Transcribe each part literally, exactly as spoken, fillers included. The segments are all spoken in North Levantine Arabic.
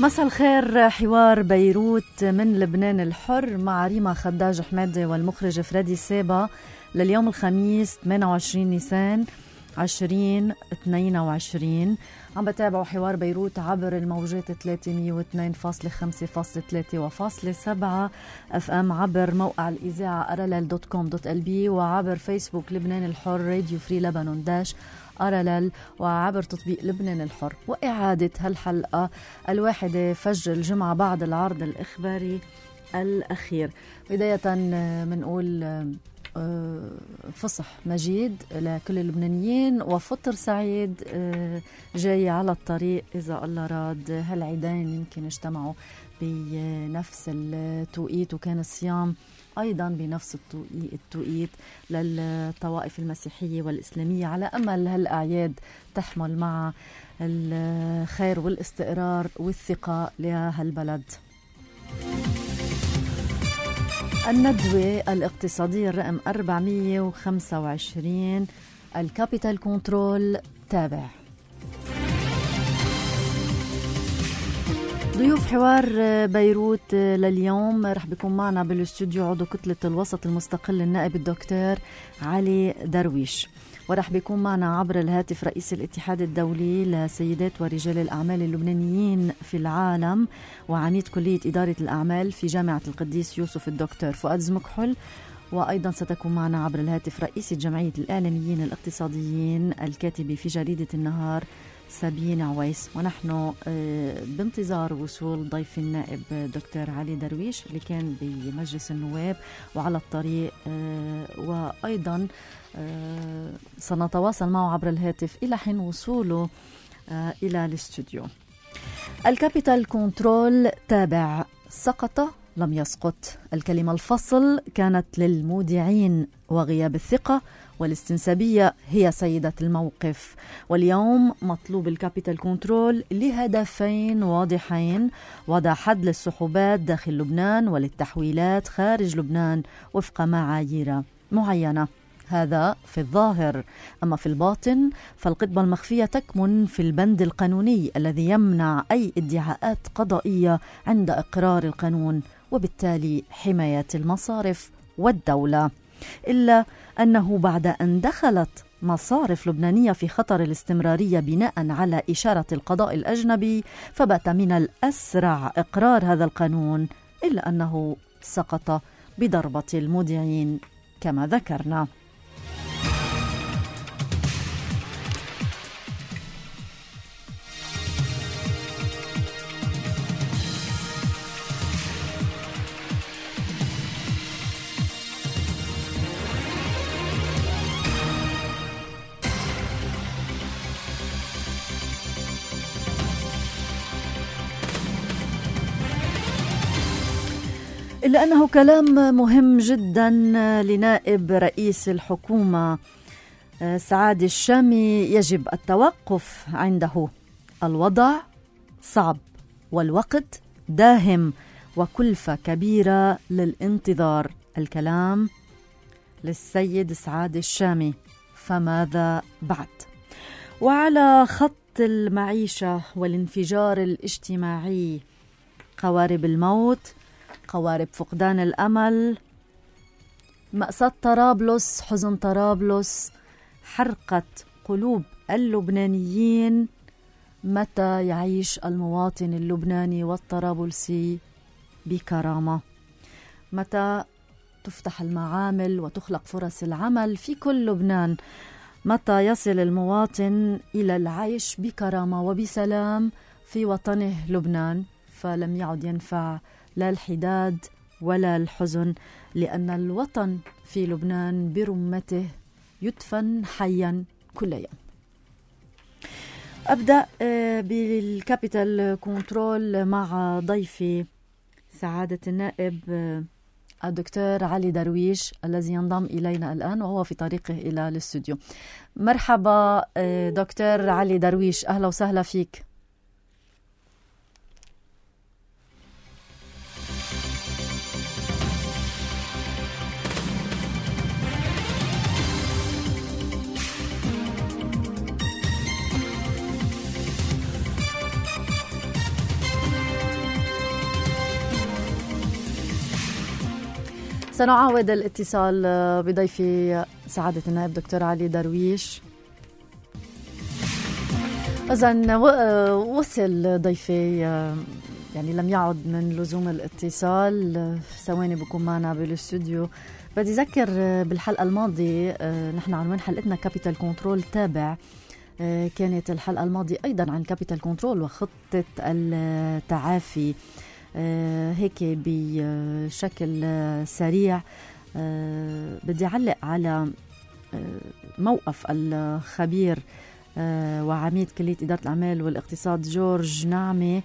مساء الخير. حوار بيروت من لبنان الحر مع ريما خداج حمادي والمخرج فريدي سابا لليوم الخميس ثمانية وعشرين نيسان عشرين اثنين وعشرين. عم بتابعوا حوار بيروت عبر الموجات ثلاثمية واثنين فاصلة خمسة فاصلة ثلاثة وفاصلة سبعة اف ام، عبر موقع الإذاعة ارلل دوت كوم دوت ال بي، وعبر فيسبوك لبنان الحر راديو فري لبنان داش ارلل، وعبر تطبيق لبنان الحر. وإعادة هالحلقة الواحدة فجر الجمعة بعد العرض الإخباري الأخير. بداية منقول فصح مجيد لكل اللبنانيين وفطر سعيد جاي على الطريق إذا الله راد. هالعيدين يمكن اجتمعوا بنفس التوقيت، وكان الصيام أيضا بنفس التوقيت للطوائف المسيحية والإسلامية، على أمل هالأعياد تحمل مع الخير والاستقرار والثقة لهالبلد. الندوة الاقتصادية الرقم أربعمية وخمسة وعشرين، الكابيتال كنترول تابع. ضيوف حوار بيروت لليوم رح بيكون معنا بالاستوديو عضو كتلة الوسط المستقل النائب الدكتور علي درويش، ورح بيكون معنا عبر الهاتف رئيس الاتحاد الدولي لسيدات ورجال الأعمال اللبنانيين في العالم وعميد كلية إدارة الأعمال في جامعة القديس يوسف الدكتور فؤاد زمكحل. وأيضا ستكون معنا عبر الهاتف رئيسة جمعية الإعلاميين الاقتصاديين الكاتبة في جريدة النهار سابين عويس. ونحن بانتظار وصول ضيف النائب دكتور علي درويش اللي كان بمجلس النواب وعلى الطريق، وأيضا سنتواصل معه عبر الهاتف إلى حين وصوله إلى الاستوديو. الكابيتال كنترول تابع، سقط لم يسقط. الكلمة الفصل كانت للمودعين، وغياب الثقة والاستنسابية هي سيدة الموقف. واليوم مطلوب الكابيتال كنترول لهدفين واضحين: وضع حد للسحوبات داخل لبنان وللتحويلات خارج لبنان وفق معايير معينة. هذا في الظاهر، أما في الباطن فالقطبة المخفية تكمن في البند القانوني الذي يمنع أي ادعاءات قضائية عند إقرار القانون، وبالتالي حماية المصارف والدولة. إلا أنه بعد أن دخلت مصارف لبنانية في خطر الاستمرارية بناء على إشارة القضاء الأجنبي، فبات من الأسرع إقرار هذا القانون، إلا أنه سقط بضربة المودعين كما ذكرنا. إلا أنه كلام مهم جدا لنائب رئيس الحكومة سعاد الشامي يجب التوقف عنده. الوضع صعب والوقت داهم وكلفة كبيرة للانتظار. الكلام للسيد سعاد الشامي، فماذا بعد؟ وعلى خط المعيشة والانفجار الاجتماعي، قوارب الموت، قوارب فقدان الأمل، مأساة طرابلس، حزن طرابلس، حرقة قلوب اللبنانيين. متى يعيش المواطن اللبناني والطرابلسي بكرامة؟ متى تفتح المعامل وتخلق فرص العمل في كل لبنان؟ متى يصل المواطن إلى العيش بكرامة وبسلام في وطنه لبنان؟ فلم يعد ينفع لا الحداد ولا الحزن، لأن الوطن في لبنان برمته يدفن حيا كل يوم. أبدأ بالكابيتال كنترول مع ضيفي سعادة النائب الدكتور علي درويش الذي ينضم إلينا الآن وهو في طريقه إلى الاستوديو. مرحبا دكتور علي درويش، أهلا وسهلا فيك. سنعاود الاتصال بضيفي سعادة النائب دكتور علي درويش. إذن وصل ضيفي، يعني لم يعد من لزوم الاتصال، ثواني بكون معنا بالاستوديو. بدي أذكر بالحلقة الماضية نحن عنوان حلقتنا كابيتال كنترول تابع. كانت الحلقة الماضية أيضا عن كابيتال كنترول وخطة التعافي. هيك بشكل سريع بدي أعلق على موقف الخبير وعميد كلية إدارة الأعمال والاقتصاد جورج نعمة،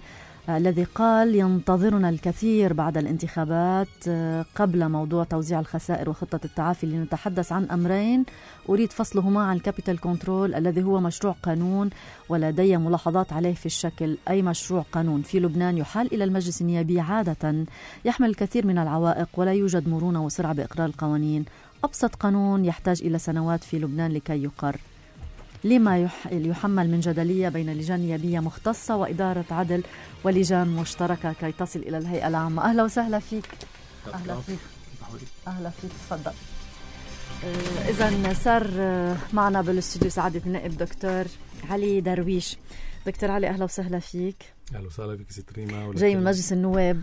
الذي قال ينتظرنا الكثير بعد الانتخابات قبل موضوع توزيع الخسائر وخطة التعافي، لنتحدث عن أمرين أريد فصلهما عن كابيتال كنترول الذي هو مشروع قانون ولدي ملاحظات عليه في الشكل. أي مشروع قانون في لبنان يحال إلى المجلس النيابي عادة يحمل الكثير من العوائق ولا يوجد مرونة وسرعة بإقرار القوانين. أبسط قانون يحتاج إلى سنوات في لبنان لكي يقر. لما يحمل من جدلية بين لجان نيابية مختصة وإدارة عدل ولجان مشتركة كي تصل إلى الهيئة العامة. أهلا وسهلا فيك. أهلا فيك. أهلا فيك. تفضل. إذن صار معنا بالاستوديو سعادة النائب دكتور علي درويش. دكتور علي أهلا وسهلا فيك. أهلا وسهلا فيك ست ريما. جاي من مجلس النواب.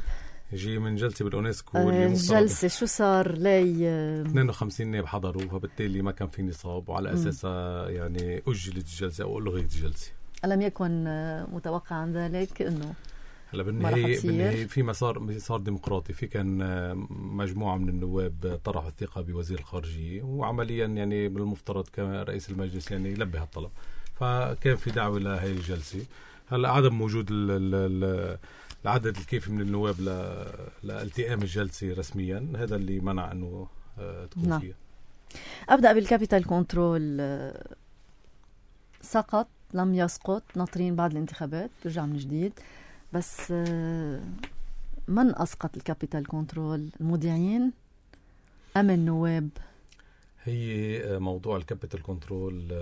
جي من جلسة بالأونسكو. الجلسة شو صار لي؟ اثنين وخمسين نائب حضروا، فبالتالي ما كان في نصاب، وعلى أساسها يعني أجلت الجلسة أو ألغيت الجلسة. ألم يكن متوقعا ذلك إنه هلا بالنهاية بالنهاية في مسار مسار ديمقراطي، في كان مجموعة من النواب طرحوا الثقة بوزير الخارجية، وعمليا يعني بالمفترض كان رئيس المجلس يعني يلبي هالطلب، فكان في دعوة لهي الجلسة. هلا عدم وجود ال ال العدد الكافي من النواب لالتئام الجلسة رسميا، هذا اللي منع أنه تكون نعم. فيها. أبدأ بالكابيتال كنترول. سقط لم يسقط، ناطرين بعد الانتخابات ترجع من جديد، بس من أسقط الكابيتال كنترول؟ المودعين أم النواب؟ هي موضوع الكابيتال كنترول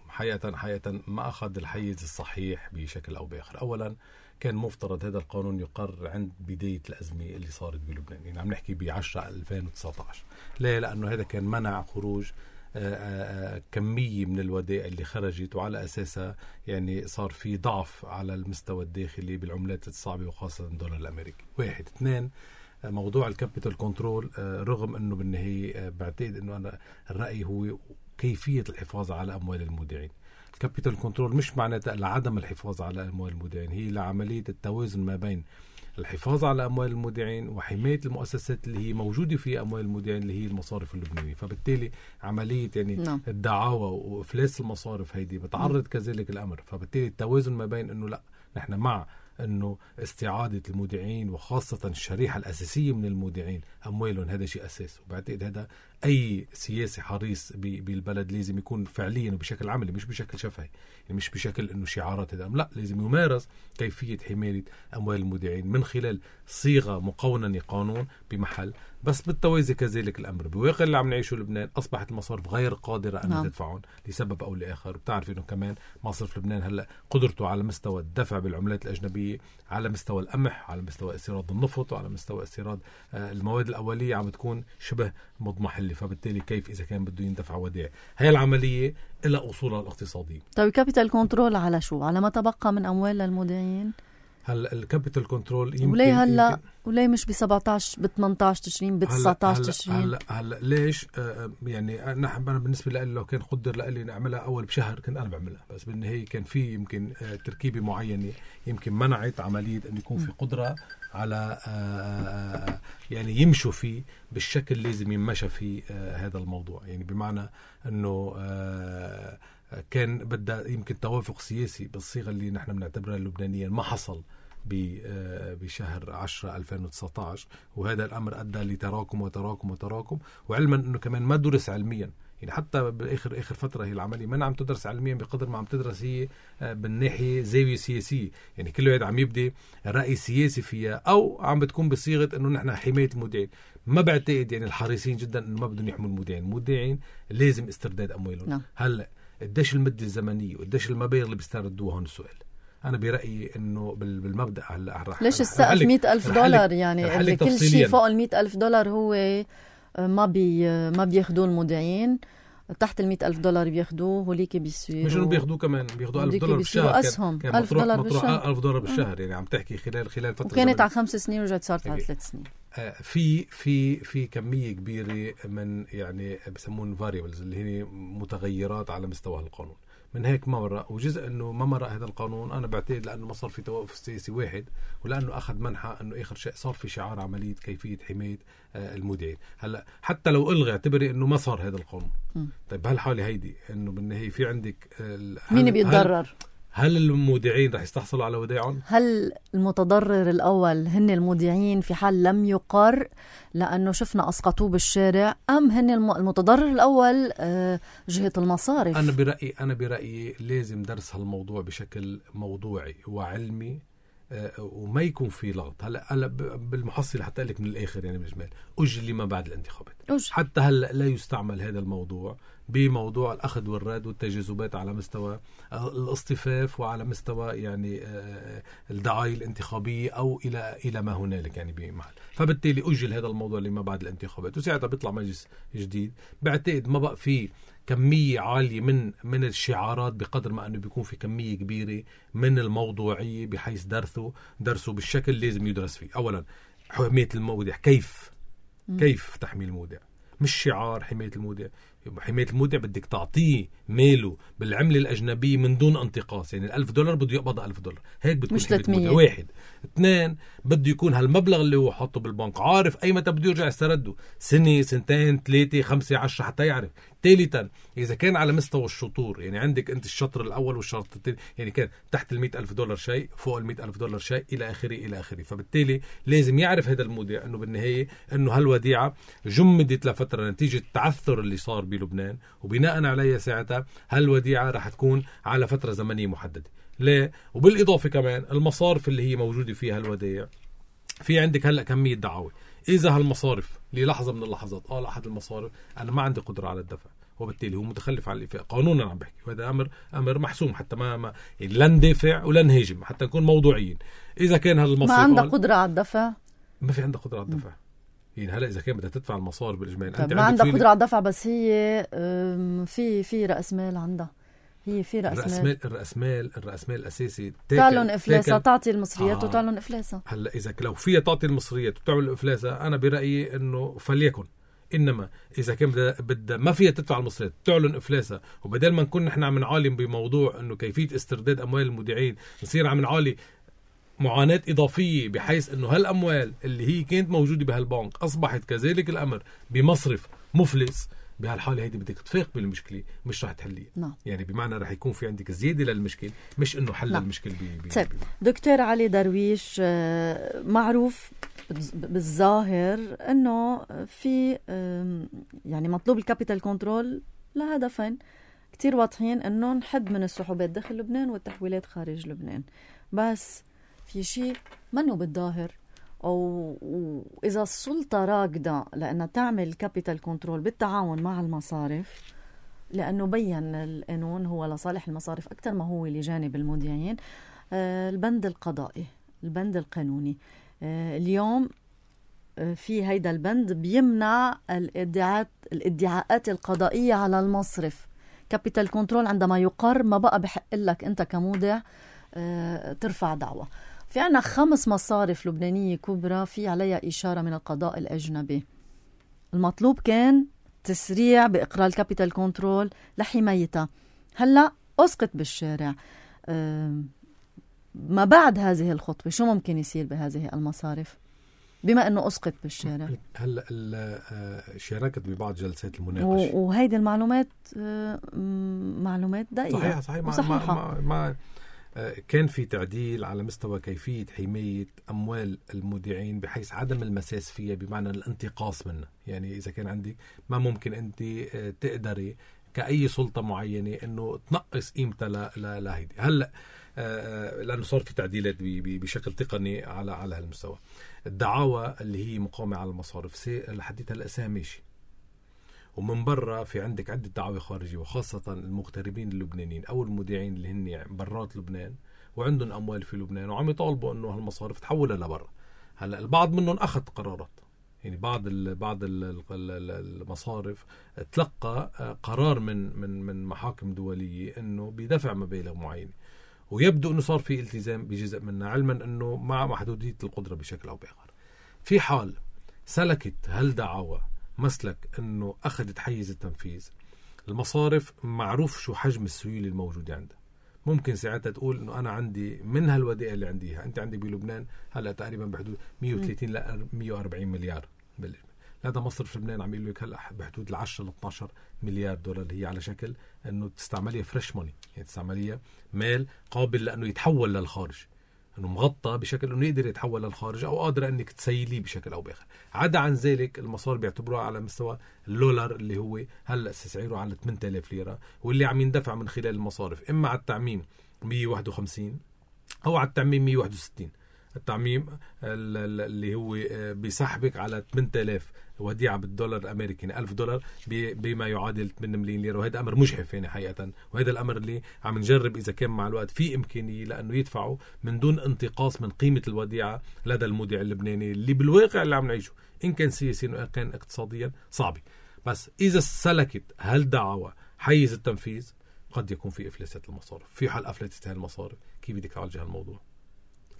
حقيقة حقيقة ما أخذ الحيز الصحيح بشكل أو بآخر. أولا كان مفترض هذا القانون يقر عند بداية الأزمة اللي صارت بلبنان، يعني عم نحكي بعشرة ألفين وتسعة عشر. ليه؟ لأنه هذا كان منع خروج آآ آآ كمية من الودائع اللي خرجت، وعلى أساسها يعني صار في ضعف على المستوى الداخلي بالعملات الصعبة وخاصة الدولار الأمريكي. واحد. اثنين، موضوع الكابيتال كنترول رغم أنه بالنهاية بعتقد أنه أنا الرأي هو كيفية الحفاظ على أموال المودعين. الكابيتال كنترول مش معناتها لعدم الحفاظ على أموال المودعين، هي لعملية التوازن ما بين الحفاظ على أموال المودعين وحماية المؤسسات اللي هي موجودة في أموال المودعين اللي هي المصارف اللبنانية. فبالتالي عملية يعني نعم. الدعاوى وإفلاس المصارف هيدي بتعرض كذلك الأمر. فبالتالي التوازن ما بين أنه لا نحن مع أنه استعادة المودعين وخاصة الشريحة الأساسية من المودعين أموالهم، هذا شيء أساس. وبعتقد هذا أي سياسي حريص بالبلد لازم يكون فعليا وبشكل عملي، مش بشكل شفهي، يعني مش بشكل أنه شعارات، هذا لا، لازم يمارس كيفية حماية أموال المودعين من خلال صيغة مقوننة قانون بمحل، بس بالتوازي كذلك الأمر بواقع اللي عم نعيشه لبنان. أصبحت المصارف غير قادرة أن نعم. تدفعون لسبب أو لآخر. بتعرف أنه كمان مصرف لبنان هلأ قدرته على مستوى الدفع بالعملات الأجنبية، على مستوى القمح، على مستوى استيراد النفط، وعلى مستوى استيراد المواد الأولية عم تكون شبه مضمحلة. فبالتالي كيف إذا كان بده يندفع ودائع؟ هي العملية إلى أصولها الاقتصادية. طيب كابيتال كنترول على شو؟ على ما تبقى من أموال للمودعين؟ هلا الكابيتال كنترول يمكن وليه هلا وليه مش ب سبعتاشر ب ثمانية عشر تشرين ب تسعة عشر تشرين؟ هلا هلا ليش؟ آه يعني نحن أنا بالنسبة لي لو كان قدر لي نعملها أول بشهر كنت أنا بعملها، بس بالنهاية كان في يمكن آه تركيبة معينة يمكن منعت عملية أن يكون في قدرة على آه يعني يمشوا فيه بالشكل لازم يمشى فيه آه هذا الموضوع. يعني بمعنى أنه آه كان بدأ يمكن توافق سياسي بالصيغة اللي نحن بنعتبرها اللبنانية ما حصل بشهر عشرة ألفين وتسعة عشر، وهذا الأمر أدى لتراكم وتراكم وتراكم. وعلما أنه كمان ما درس علميا، يعني حتى بالآخر آخر فترة هي العملية ما عم تدرس علميا بقدر ما عم تدرس هي بالناحية زاوية سياسية، يعني كل واحد عم يبدي رأي سياسي فيها أو عم بتكون بصيغة أنه نحن حماية المودعين. ما بعتقد يعني الحريصين جدا أنه ما بدهم يحموا المودعين. المودعين لازم استرداد أموالهم. نعم. هلأ قديش المدة الزمنية وقديش المبالغ اللي بيستردوها هون السؤال. أنا برأيي إنه بالمبدأ هلا ليش السقف مئة ألف دولار؟ يعني اللي كل شيء فوق المئة ألف دولار هو ما بي ما بياخدوه المودعين، تحت المئة ألف دولار بياخدوه هوليك بيصيروا مش انه بياخدوه كمان بياخدوه ألف دولار بالشهر. أسهم كان ألف دولار بالشهر. ألف دولار بالشهر يعني عم تحكي خلال خلال فترة وكانت على خمس سنين ورجعت صارت على ثلاث سنين. آه في في في كمية كبيرة من يعني بسمون variables اللي هي متغيرات على مستوى القانون. من هيك ما مرق، وجزء انه ما مرق هذا القانون انا بعتقد لانه ما صار في توافق سياسي واحد، ولانه اخذ منحى انه اخر شيء صار في شعار عمليه كيفيه حمايه آه المودعين. هلا حتى لو الغي اعتبري انه ما صار هذا القانون. م. طيب بهالحاله هيدي انه بالنهايه في عندك آه مين بيتضرر؟ هل المودعين رح يستحصلوا على ودائعهم؟ هل المتضرر الأول هن المودعين في حال لم يقر لأنه شفنا أسقطوه بالشارع، أم هن المتضرر الأول جهة المصارف؟ أنا برأيي أنا برأيي لازم درس هالموضوع بشكل موضوعي وعلمي وما يكون في لغط. هلا هلا بالمحصلة حتى لك من الآخر يعني بالإجمال أجل لما بعد الانتخابات. أجل. حتى هلا لا يستعمل هذا الموضوع بموضوع الأخذ والرد والتجاذبات على مستوى الاصطفاف وعلى مستوى يعني الدعاية الانتخابية أو إلى إلى ما هنالك يعني بمحل. فبالتالي أجل هذا الموضوع لما بعد الانتخابات، وساعتها بيطلع مجلس جديد. بعتقد ما بقى فيه كمية عالية من من الشعارات بقدر ما أنه بيكون في كمية كبيرة من الموضوعية بحيث درسه درسه بالشكل لازم يدرس فيه. أولا حماية المودع، كيف م. كيف تحمي المودع، مش شعار حماية المودع. حماية المودع بدك تعطيه ماله بالعملة الأجنبية من دون انتقاص، يعني الألف دولار بده يقبض ألف دولار، هيك بتكون مش ثلاثمية. واحد. اثنين، بده يكون هالمبلغ اللي هو حاطه بالبنك عارف أي متى بده يرجع يسترده، سنة سنتين ثلاثة خمسة عشرة حتى يعرف. ثالثا، إذا كان على مستوى الشطور، يعني عندك أنت الشطر الأول والشطر الثاني، يعني كان تحت المئة ألف دولار شيء، فوق المئة ألف دولار شيء، إلى آخره إلى آخره. فبالتالي لازم يعرف هذا المودع أنه بالنهاية أنه هالوديعة جمدت لفترة نتيجة التعثر اللي صار بلبنان، وبناء عليها ساعتها هالوديعة رح تكون على فترة زمنية محددة. ليه؟ وبالإضافة كمان المصارف اللي هي موجودة فيها الودائع، في عندك هلأ كمية دعاوى. إذا هالمصارف للحظة من اللحظات قال أحد المصارف أنا ما عندي قدرة على الدفع، وبالتالي هو متخلف عن الإفاق قانونا عم بحكي، وهذا أمر أمر محسوم حتى ما, ما يعني لن ندافع ولن نهاجم حتى نكون موضوعيين. إذا كان هالمصارف ما عندها قدرة على الدفع، ما في عندها قدرة على الدفع. يعني هلا إذا كان بدها تدفع المصارف بالإجمال أنت ما عندها قدرة على الدفع، بس هي في في رأس مال عندها، هي في رأس مال. الرأس مال الرأس مال الأساسي تعلن إفلاسها، تعطي المصريات آه. وتعلن إفلاسها. هلا إذا لو فيها تعطي المصريات وتعمل إفلاسها أنا برأيي إنه فليكن. إنما إذا كان بدها بدها ما فيها تدفع المصريات تعلن إفلاسها، وبدل ما نكون نحن عم نعالم بموضوع إنه كيفية استرداد أموال المودعين نصير عم نعالي معاناة إضافية بحيث أنه هالأموال اللي هي كانت موجودة بهالبنك أصبحت كذلك الأمر بمصرف مفلس. بهالحالة هيدي بدك تفاق بالمشكلة، مش رح تحليها. نعم. يعني بمعنى رح يكون في عندك زيادة للمشكلة، مش أنه حل نعم. المشكلة بي بي بي دكتور علي درويش، معروف بالظاهر أنه في يعني مطلوب الكابيتال كنترول لهدفين كتير واضحين، أنه نحد من السحوبات داخل لبنان والتحويلات خارج لبنان. بس في شيء منه بالظاهر، أو إذا السلطة راكدة لأنها تعمل كابيتال كنترول بالتعاون مع المصارف، لأنه بيّن القانون هو لصالح المصارف أكثر ما هو لجانب المودعين. آه البند القضائي، البند القانوني، آه اليوم آه في هيدا البند بيمنع الادعاءات الادعاءات القضائية على المصرف. كابيتال كنترول عندما يقر ما بقى بحق لك أنت كمودع آه ترفع دعوة. في عنا خمس مصارف لبنانية كبرى في عليها إشارة من القضاء الأجنبي. المطلوب كان تسريع بإقرار الكابيتال كنترول لحمايتها. هلأ أسقط بالشارع. أه ما بعد هذه الخطوة شو ممكن يصير بهذه المصارف بما أنه أسقط بالشارع؟ هلأ شاركت ببعض جلسات المناقشة، وهيدي المعلومات أه معلومات دقيقة صحيحة صحيح وصحيحة. مع مع مع كان في تعديل على مستوى كيفية حماية أموال المودعين بحيث عدم المساس فيها، بمعنى الانتقاص منها. يعني إذا كان عندك ما ممكن أنت تقدري كأي سلطة معينة أنه تنقص قيمتها لهيدي. هلأ لأنه صار في تعديلات بشكل تقني على على هالمستوى. الدعاوى اللي هي مقامة على المصارف لحديث هالأساس ماشي، ومن برا في عندك عدة دعاوى خارجية، وخاصة المغتربين اللبنانيين أو المودعين اللي هن برات لبنان وعندهم أموال في لبنان وعم يطالبوا أنه هالمصارف تحولها لبرا. هلأ البعض منهم أخذ قرارات، يعني بعض ال بعض ال المصارف تلقى قرار من من من محاكم دولية إنه بيدفع مبالغ معينة، ويبدو إنه صار في التزام بجزء منها، علما إنه مع محدودية القدرة بشكل أو بآخر. في حال سلكت هالدعوة مسلك إنه أخذت حيز التنفيذ، المصارف معروف شو حجم السيولة الموجودة عندها. ممكن ساعتها تقول إنه أنا عندي من هالودائع اللي عنديها، أنت عندي بلبنان هلأ تقريبا بحدود مية وثلاثين ل مية وأربعين مليار. هذا مصرف لبنان عم يقول لك هلا بحدود العشرة ل اثناشر مليار دولار، هي على شكل انه تستعمليها فريش موني، يعني تستعمليها مال قابل لانه يتحول للخارج، انه مغطى بشكل انه يقدر يتحول للخارج او قادره انك تسيليه بشكل او باخر. عدا عن ذلك المصارف بيعتبروها على مستوى اللولار اللي هو هلا سعره على ثمانية آلاف ليره، واللي عم يندفع من خلال المصارف اما على التعميم مية وواحد وخمسين او على التعميم مية وواحد وستين. التعميم اللي هو بيسحبك على ثمانية آلاف وديعة بالدولار الأمريكي ألف دولار بما يعادل ثمانية ملايين ليرة، وهذا أمر مجحف يعني حقيقة، وهذا الأمر اللي عم نجرب إذا كان مع الوقت في إمكانية لأنه يدفعوا من دون انتقاص من قيمة الوديعة لدى المودع اللبناني اللي بالواقع اللي عم نعيشه إن كان سياسيا وإن كان اقتصاديا صعب. بس إذا سلكت هالدعوة حيز التنفيذ قد يكون في إفلاسات المصارف. في حال أفلست هالمصارف كيف بدك تعالج هالموضوع؟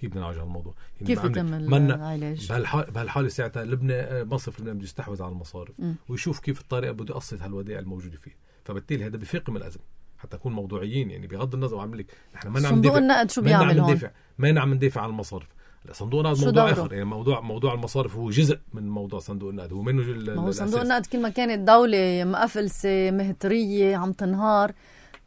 كيف بدنا نعالج هالموضوع؟ يعني كيف يتم العلاج؟ بهالحالة بهالحالة ساعتها لبنان مصرف لبنان بده يستحوذ على المصارف م. ويشوف كيف الطريقة بده يقصد هالودائع الموجودة فيه، فبالتالي هذا بفاقم الأزمة. حتى نكون موضوعيين يعني بغض النظر عم لك نحن ما نعم صندوق النقد شو بيعمل هون؟ ما نعم ندافع عن المصارف. صندوق النقد موضوع آخر، يعني موضوع موضوع المصارف هو جزء من موضوع صندوق النقد، هو منه جل ما هو صندوق النقد كل ما كانت دولة مقفلسة مهترية عم تنهار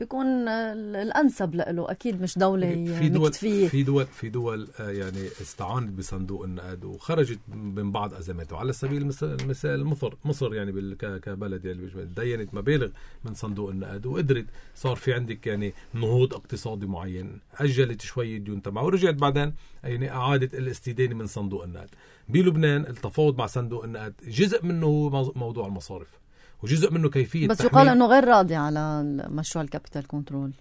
بيكون الأنسب له، أكيد مش دولة في دول مكتفية. في دول في دول يعني استعانت بصندوق النقد وخرجت من بعض أزماته. على سبيل المثال مصر مصر يعني كبلد يعني دينت مبالغ من صندوق النقد وقدرت صار في عندك يعني نهوض اقتصادي معين، أجلت شوية ديون تبعها ورجعت بعدين يعني أعادت الاستدانة من صندوق النقد. بلبنان التفاوض مع صندوق النقد جزء منه هو موضوع المصارف وجزء منه كيفية بس يقال انه غير راضي على مشروع الكابيتال كنترول.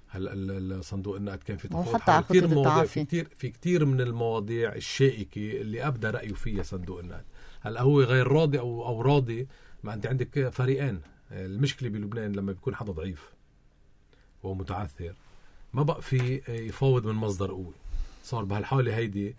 هلا الصندوق النقد كان في تفاوض كثير مواضيع، في كثير في كثير من المواضيع الشائكة اللي ابدى رأيه فيها صندوق النقد. هلا هو غير راضي او او راضي، ما انت عندك فريقين. المشكلة بلبنان لما بيكون حدا ضعيف ومتعثر ما بقى في يفاوض من مصدر قوي. صار بهالحالة هيدي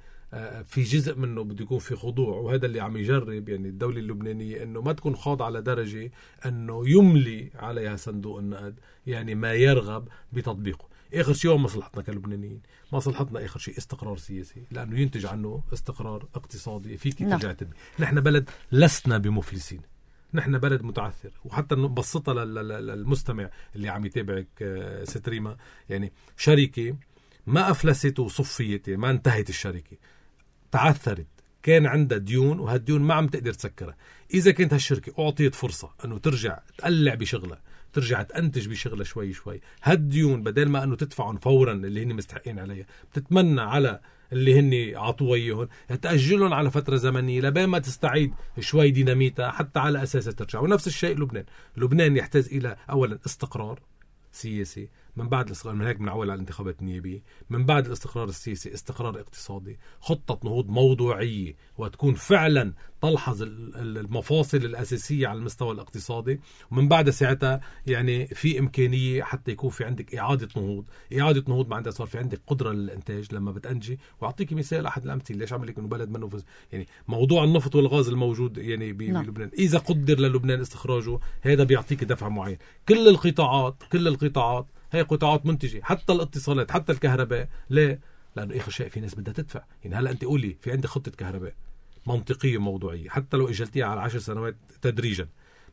في جزء منه بده يكون في خضوع، وهذا اللي عم يجرب يعني الدولة اللبنانية انه ما تكون خاضعة على درجة انه يملي عليها صندوق النقد يعني ما يرغب بتطبيقه. اخر شيء هو مصلحتنا كلبنانيين، مصلحتنا اخر شيء استقرار سياسي لانه ينتج عنه استقرار اقتصادي فيك ترجع تبني. نحن بلد لسنا بمفلسين، نحن بلد متعثر. وحتى نبسطها للمستمع اللي عم يتابعك ستريما، يعني شركة ما أفلست وصفيت، يعني ما انتهت الشركة، تعثرت، كان عندها ديون وهالديون ما عم تقدر تسكرها. إذا كانت هالشركة أعطيت فرصة أنه ترجع تقلع بشغلها، ترجع تنتج بشغلها شوي شوي، هالديون بدل ما أنه تدفعهم فورا اللي هن مستحقين عليها، بتتمنى على اللي هن عطوا إياهم تأجلهم على فترة زمنية لبين ما تستعيد شوي ديناميتها حتى على أساسها ترجع. ونفس الشيء لبنان. لبنان يحتاج إلى أولا استقرار سياسي، من بعد الاستقرار من هيك بنعول على الانتخابات النيابية، من بعد الاستقرار السياسي استقرار اقتصادي، خطة نهوض موضوعية وتكون فعلا تلحظ المفاصل الأساسية على المستوى الاقتصادي، ومن بعد ساعتها يعني في إمكانية حتى يكون في عندك إعادة نهوض. إعادة نهوض معناتها صار في عندك قدرة للإنتاج لما بتنجي. وأعطيك مثال أحد الأمثلة ليش عم لك إنه بلد منه فز، يعني موضوع النفط والغاز الموجود يعني بلبنان، إذا قدر للبنان استخراجه هذا بيعطيك دفع معين. كل القطاعات كل القطاعات هي قطاعات منتجة، حتى الاتصالات حتى الكهرباء. ليه؟ لأنه آخر شيء في ناس بدها تدفع. يعني هلأ أنت قولي في عندي خطة كهرباء منطقية موضوعية حتى لو إجلتيها على عشر سنوات تدريجا،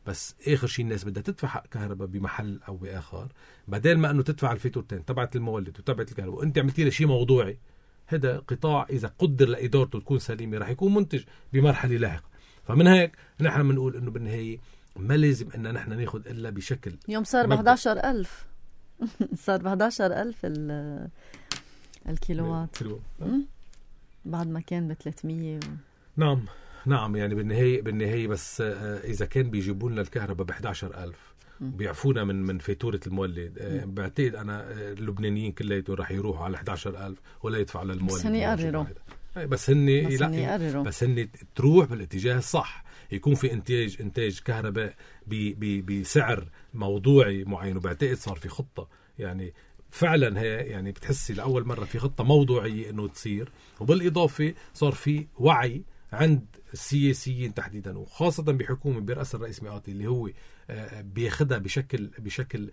بس آخر شيء الناس بدها تدفع حق كهرباء بمحل أو بآخر، بدل ما أنه تدفع الفاتورتين تبعت المولد وتبعت الكهرباء وأنت عملتي له شيء موضوعي. هذا قطاع إذا قدر لإدارته تكون سليمة راح يكون منتج بمرحلة لاحقة. فمن هيك نحن بنقول إنه بالنهاية ما لازم إن نحن ناخد إلا بشكل. يوم صار ب إحدى عشر ألف صار ب إحدى عشر ألف الكيلووات بعد ما كان ب ثلاثمية و... نعم نعم يعني بالنهاية بالنهاية بس إذا كان بيجيبوا لنا الكهرباء ب إحدى عشر ألف بيعفونا من من فاتورة المولد، بعتقد أنا اللبنانيين كلهم راح يروحوا على إحدى عشر ألف ولا يدفع للمولد. بس هني قرروا بس هني بس, لا بس هني تروح بالاتجاه الصح، يكون في انتاج انتاج كهرباء بسعر موضوعي معين. وبعتقد صار في خطة يعني فعلا، هي يعني بتحسي لأول مرة في خطة موضوعية انه تصير. وبالإضافة صار في وعي عند السياسيين تحديدا، وخاصة بحكومة برأس الرئيس مئاتي اللي هو بياخدها بشكل بشكل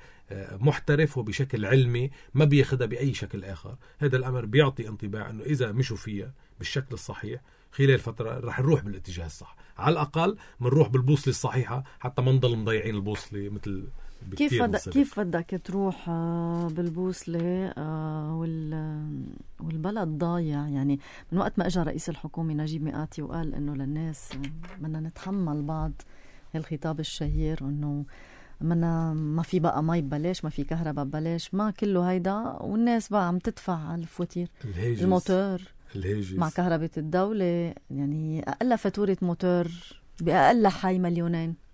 محترف وبشكل علمي، ما بياخدها بأي شكل آخر. هذا الأمر بيعطي انطباع أنه إذا مشوا فيها بالشكل الصحيح خلال فترة رح نروح بالاتجاه الصح، على الأقل منروح بالبوصلة الصحيحة حتى ما نضل مضيعين البوصلة مثل كيف بدك كيف بدك تروح بالبوصلة والبلد ضايع. يعني من وقت ما اجى رئيس الحكومة نجيب مئاتي وقال انه للناس بدنا نتحمل بعض الخطاب الشهير انه منا ما في بقى مي ببلاش، ما في كهرباء ببلاش، ما كله هيدا، والناس بقى عم تدفع على الفواتير الموتور الهيجز مع كهرباء الدولة. يعني أقل فاتورة موتور بأقل حي مليونين.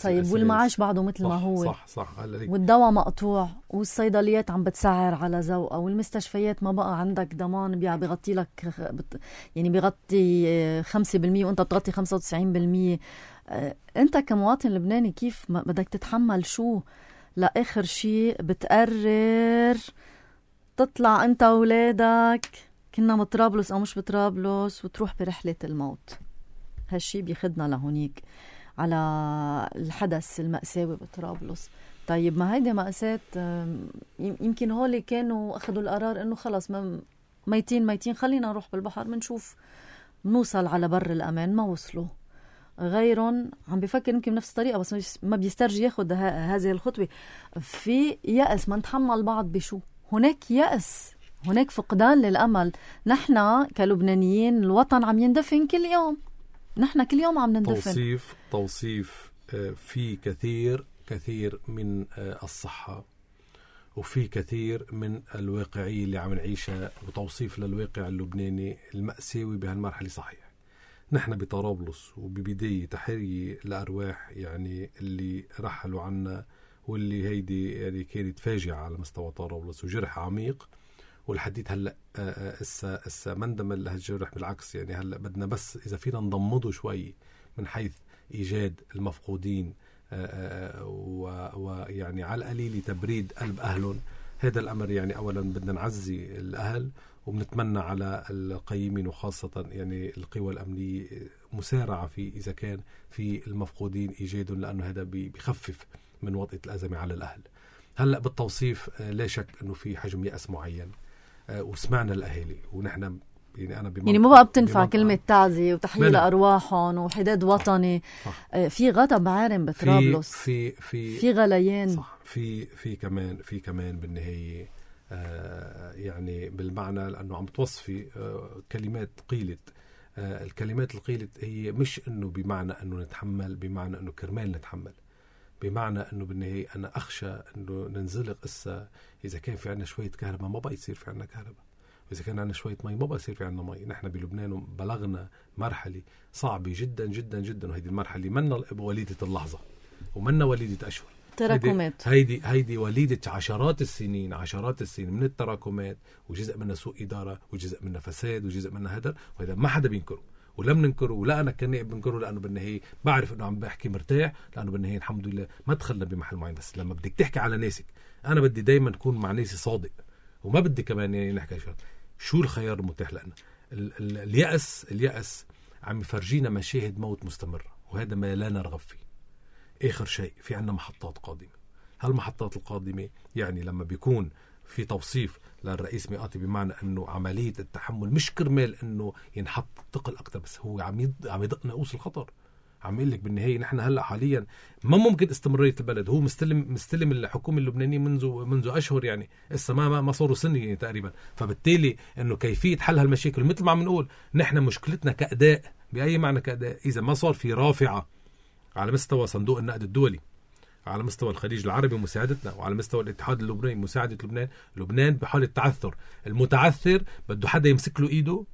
طيب والمعاش بعده مثل صح ما هو صح صح. والدواء مقطوع، والصيدليات عم بتسعر على ذوقها، والمستشفيات ما بقى عندك ضمان بيغطي لك يعني بيغطي خمسة بالمية وانت بتغطي خمسة وتسعين بالمية. انت كمواطن لبناني كيف بدك تتحمل شو؟ لآخر شيء بتقرر تطلع انت وولادك كنا بطرابلس او مش بطرابلس وتروح برحلة الموت. هالشي بيخدنا لهونيك على الحدث المأساوي بطرابلس. طيب ما هيدا مأساة، يمكن هولي كانوا أخذوا القرار إنه خلص ميتين ميتين خلينا نروح بالبحر منشوف نوصل على بر الأمان، ما وصلوا. غيرهم عم بيفكر يمكن بنفس الطريقة بس ما بيسترجي ياخد هذه الخطوة. في يأس، ما نتحمل بعض بشو؟ هناك يأس، هناك فقدان للأمل. نحن كلبنانيين الوطن عم يندفن كل يوم، نحن كل يوم عم نندفن. توصيف توصيف في كثير كثير من الصحة وفي كثير من الواقعية اللي عم نعيشها، وتوصيف للواقع اللبناني المأساوي بهالمرحلة صحيح. نحن بطرابلس وببداية تحرية لأرواح يعني اللي رحلوا عنا، واللي هيدي يعني كانت فاجعة على مستوى طرابلس وجرح عميق. والحديث هلا اسا اسا ما اندمج لهالجرح، بالعكس يعني هلا بدنا بس اذا فينا نضمده شوي من حيث ايجاد المفقودين ويعني على القليل تبريد قلب اهلهم. هذا الامر يعني اولا بدنا نعزي الاهل، وبنتمنى على القيمين وخاصه يعني القوى الامنيه مسارعه في اذا كان في المفقودين ايجادهم، لانه هذا بيخفف من وطئة الازمه على الاهل. هلا بالتوصيف لا شك انه في حجم يأس معين، وسمعنا الأهالي ونحن يعني أنا يعني مو بقى بتنفع كلمة تعزية وتحيي أرواحهم وحداد وطني. صح. صح. في غضب عارم بطرابلس، في في في غليان. صح. في في كمان في كمان بالنهاية آه يعني بالمعنى لأنه عم توصفي آه كلمات قيلت. آه الكلمات القيلت هي مش إنه بمعنى إنه نتحمل، بمعنى إنه كرمال نتحمل، بمعنى أنه بالنهاية أنا أخشى أنه ننزلق إسا إذا كان في عنا شوية كهرباء ما بقى يصير في عنا كهرباء، وإذا كان عنا شوية مي ما بقى يصير في عنا مي. نحن بلبنان بلغنا مرحلة صعبة جدا جدا جدا، وهيدي المرحلة منا وليدة اللحظة ومنا وليدة أشهر، تراكمات. هيدي هيدي وليدة عشرات السنين عشرات السنين من التراكمات، وجزء منها سوء إدارة، وجزء منها فساد، وجزء منها هدر، وهذا ما حدا بينكره ولم ننكره، ولا أنا كنائب بنكره، لأنه بالنهاية بعرف أنه عم بحكي مرتاح، لأنه بالنهاية الحمد لله ما دخلنا بمحل معين. بس لما بدك تحكي على ناسك، أنا بدي دايما أكون مع ناسي صادق، وما بدي كمان يعني نحكي شو شو الخيار المتاح لنا. ال- ال- اليأس اليأس عم يفرجينا مشاهد موت مستمرة، وهذا ما لا نرغب فيه. آخر شيء في عنا محطات قادمة. هالمحطات القادمة يعني لما بيكون في توصيف للرئيس مئاتي بمعنى أنه عملية التحمل مش كرمال أنه ينحط ثقل أكتر، بس هو عم يد... عم يدق ناقوس الخطر. عم يقول لك بالنهاية نحن هلأ حاليا ما ممكن استمرارية البلد. هو مستلم مستلم الحكومة اللبنانية منذ منذ أشهر، يعني إسا ما ما صاروا سنة يعني تقريبا. فبالتالي أنه كيفية حل هالمشاكل مثل ما عم نقول نحن مشكلتنا كأداء، بأي معنى كأداء، إذا ما صار في رافعة على مستوى صندوق النقد الدولي، على مستوى الخليج العربي مساعدتنا، وعلى مستوى الاتحاد اللبناني مساعدة لبنان. لبنان بحالة تعثر، المتعثر بده حدا يمسك له إيده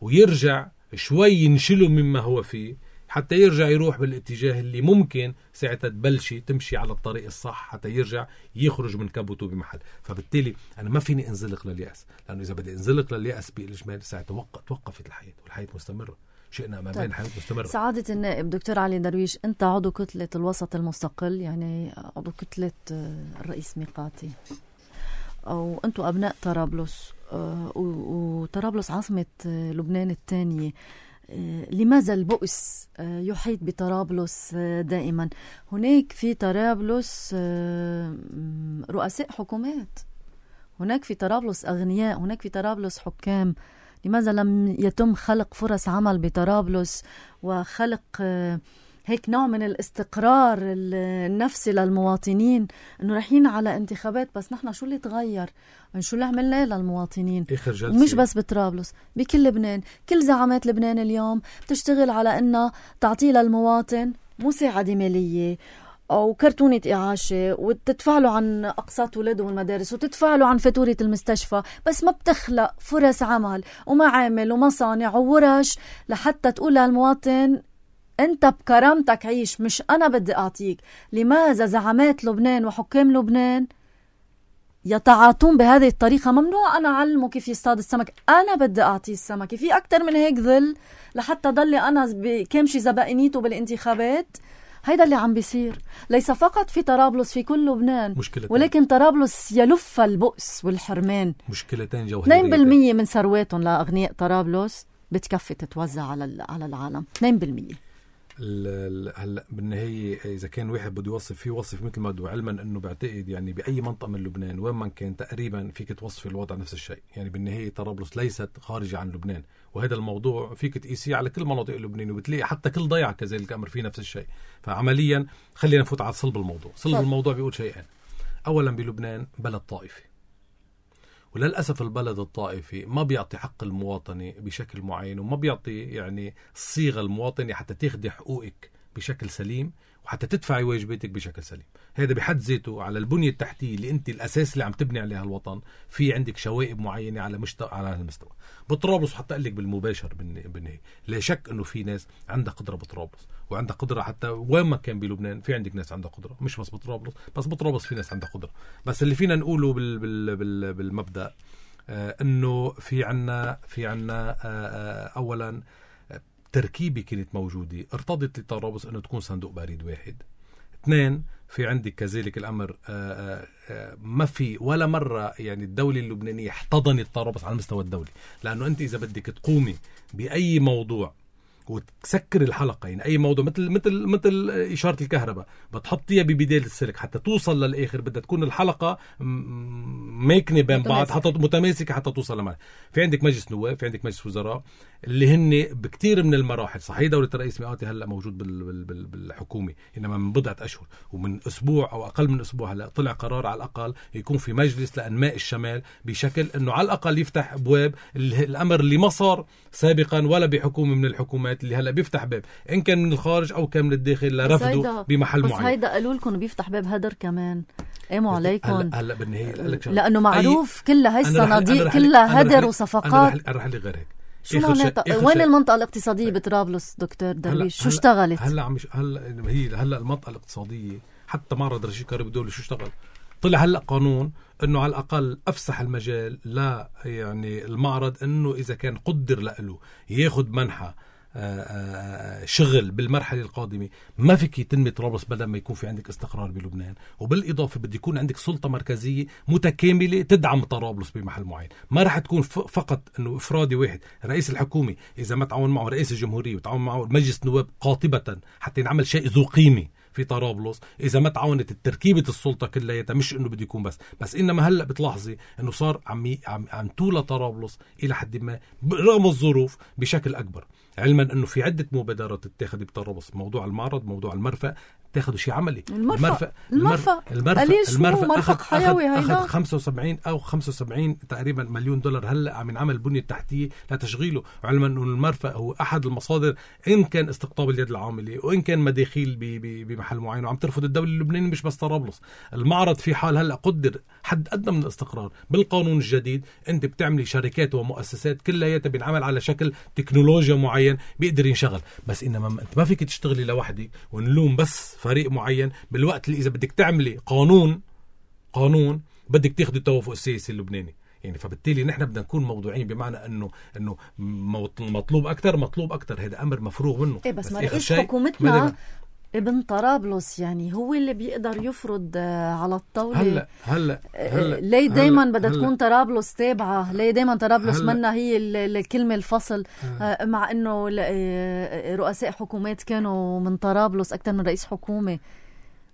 ويرجع شوي ينشله مما هو فيه حتى يرجع يروح بالاتجاه اللي ممكن ساعتها تبلشي تمشي على الطريق الصح حتى يرجع يخرج من كبوته بمحل. فبالتالي أنا ما فيني انزلق لليأس، لأنه إذا بدي انزلق لليأس بالإجمال ساعتها توقفت الحياة، والحياة مستمرة، شئنا ما بين الحياة مستمرة. سعادة النائب دكتور علي درويش، أنت عضو كتلة الوسط المستقل، يعني عضو كتلة الرئيس ميقاتي، أو أنتوا أبناء طرابلس، وطرابلس عاصمة لبنان الثانية. لماذا البؤس يحيط بطرابلس دائما؟ هناك في طرابلس رؤساء حكومات، هناك في طرابلس أغنياء، هناك في طرابلس حكام. لماذا لم يتم خلق فرص عمل بطرابلس وخلق هيك نوع من الاستقرار النفسي للمواطنين؟ انه رايحين على انتخابات، بس نحن شو اللي تغير؟ شو اللي عملناه للمواطنين؟ ومش بس بطرابلس، بكل لبنان. كل زعامات لبنان اليوم بتشتغل على انها تعطي للمواطن مساعدة مالية أو كرتونة إعاشة، وتدفع له عن أقساط ولاده والمدارس، وتدفع له عن فاتورة المستشفى، بس ما بتخلق فرص عمل ومعامل ومصانع وورش لحتى تقول للمواطن أنت بكرامتك عيش، مش أنا بدي أعطيك. لماذا زعامات لبنان وحكام لبنان يتعاطون بهذه الطريقة؟ ممنوع أنا أعلمه كيف يصطاد السمك، أنا بدي أعطيه السمك. في أكتر من هيك ذل لحتى ضلي أنا بكامشي زبائنيته بالانتخابات؟ هيدا اللي عم بيصير ليس فقط في طرابلس، في كل لبنان، ولكن طرابلس يلف البؤس والحرمان. مشكلتين جوهرية. اثنين بالمية من ثرواتهم لأغنياء طرابلس بتكفي تتوزع على على العالم. اثنين بالمية. هلا بالنهاية إذا كان واحد بده يوصف فيه وصف مثل ما بده، علما أنه بعتقد يعني بأي منطقة من لبنان وين ما كان تقريبا فيك توصف الوضع نفس الشيء. يعني بالنهاية طرابلس ليست خارجة عن لبنان، وهذا الموضوع فيك تقيسيه على كل مناطق لبنان، وبتلاقي حتى كل ضيعة كذلك الأمر فيه نفس الشيء. فعمليا خلينا نفوت على صلب الموضوع. صلب الموضوع بيقول شيئين. أولا بلبنان بلد طائفي، وللأسف البلد الطائفي ما بيعطي حق المواطنة بشكل معين، وما بيعطي يعني صيغة المواطنة حتى تاخدي حقوقك بشكل سليم وحتى تدفعي واجباتك بشكل سليم. هذا بحد ذاته على البنية التحتية اللي انت الأساس اللي عم تبني عليها الوطن، في عندك شوائب معينة على مستوى على المستوى. بطرابلس حتى أقول لك بالمباشر بالنهاية لا شك انه في ناس عندها قدرة بطرابلس، وعندها قدرة حتى وين ما كان بلبنان في عندك ناس عندها قدرة، مش بس بطرابلس، بس بطرابلس في ناس عندها قدرة. بس اللي فينا نقوله بال بال بال بالمبدأ آه انه في عنا في عنا آه آه اولا تركيبة كانت موجودة ارتضت لطرابلس انه تكون صندوق بريد واحد. اثنين، في عندك كذلك الامر آآ آآ ما في ولا مرة يعني الدولة اللبنانية احتضنت طرابلس على المستوى الدولي، لانه انت اذا بدك تقومي باي موضوع وتسكر الحلقة، يعني أي موضوع مثل مثل مثل إشارة الكهرباء بتحطيها ببداية السلك حتى توصل للآخر، بدها تكون الحلقة ماكنة بين بعض حتى متماسكة حتى توصل لمعنى. في عندك مجلس نواب، في عندك مجلس وزراء اللي هن بكتير من المراحل. صحيح دولة الرئيس ميقاتي هلأ موجود بالحكومة، إنما من بضعة أشهر ومن أسبوع أو أقل من أسبوع هلأ طلع قرار على الأقل يكون في مجلس لأنماء الشمال، بشكل إنه على الأقل يفتح أبواب الأمر اللي ما صار سابقا ولا بحكومة من الحكومات اللي هلا بيفتح باب إن كان من الخارج أو كان من الداخل لرفضه بمحل بس معين. بس هيدا قالوا لكم بيفتح باب هدر كمان. قاموا عليكم هلا هلا بالنهاية لأنه معروف كلها هاي الصناديق كلها هدر وصفقات. أنا رح لي غير هيك. شو معناتها؟ وين المنطقة الاقتصادية بطرابلس دكتور درويش؟ شو اشتغلت؟ هلا عم هلا هي هلا المنطقة الاقتصادية حتى معرض رشيد كهرباء الدولي شو اشتغل؟ طلع هلا قانون انه على الاقل افسح المجال لا يعني المعرض انه اذا كان قدر له ياخذ منحة شغل بالمرحلة القادمة ما فيك يتم طرابلس بدل ما يكون في عندك استقرار بلبنان. وبالإضافة بدي يكون عندك سلطة مركزية متكاملة تدعم طرابلس بمحل معين. ما رح تكون فقط انه افرادي واحد رئيس الحكومة اذا ما تعاون معه رئيس الجمهورية وتعاون معه مجلس نواب قاطبة حتى ينعمل شيء ذو قيمة في طرابلس، إذا ما تعاونت التركيبة السلطة كلها، مش إنه بده يكون بس بس إنما هلأ بتلاحظي إنه صار عم عم عم طولة طرابلس إلى حد ما رغم الظروف بشكل أكبر، علما إنه في عدة مبادرات تتاخد بطرابلس، موضوع المعرض، موضوع المرفأ، تاخدوا شيء عملي. المرفق المرفق المرفق أخذ, أخذ, أخذ خمسة وسبعين أو خمسة وسبعين تقريبا مليون دولار هلأ عم ينعمل بنية تحتية لتشغيله، علما أنه المرفق هو أحد المصادر إن كان استقطاب اليد العاملة وإن كان مداخيل بمحل معين، وعم ترفض الدولة اللبنانية مش بس طرابلس. المعرض في حال هلأ قدر حد أدنى من الاستقرار بالقانون الجديد، أنت بتعملي شركات ومؤسسات كلها بينعمل على شكل تكنولوجيا معين بيقدر ينشغل، بس إنما أنت ما فيك تشتغلي لوحدك ونلوم بس فريق معين، بالوقت اللي إذا بدك تعملي قانون قانون بدك تاخدي التوافق السياسي اللبناني. يعني فبالتالي نحن بدنا نكون موضوعين، بمعنى انه انه مطلوب اكثر مطلوب اكثر هذا امر مفروغ منه. إيه بس, بس ما رئيس حكومتنا ابن طرابلس يعني هو اللي بيقدر يفرض على الطاوله. هلا هلا هلا ليه دايما بدها تكون طرابلس تابعه؟ ليه دايما طرابلس منا هي الكلمه الفصل؟ هلأ. مع انه رؤساء حكومات كانوا من طرابلس اكثر من رئيس حكومه.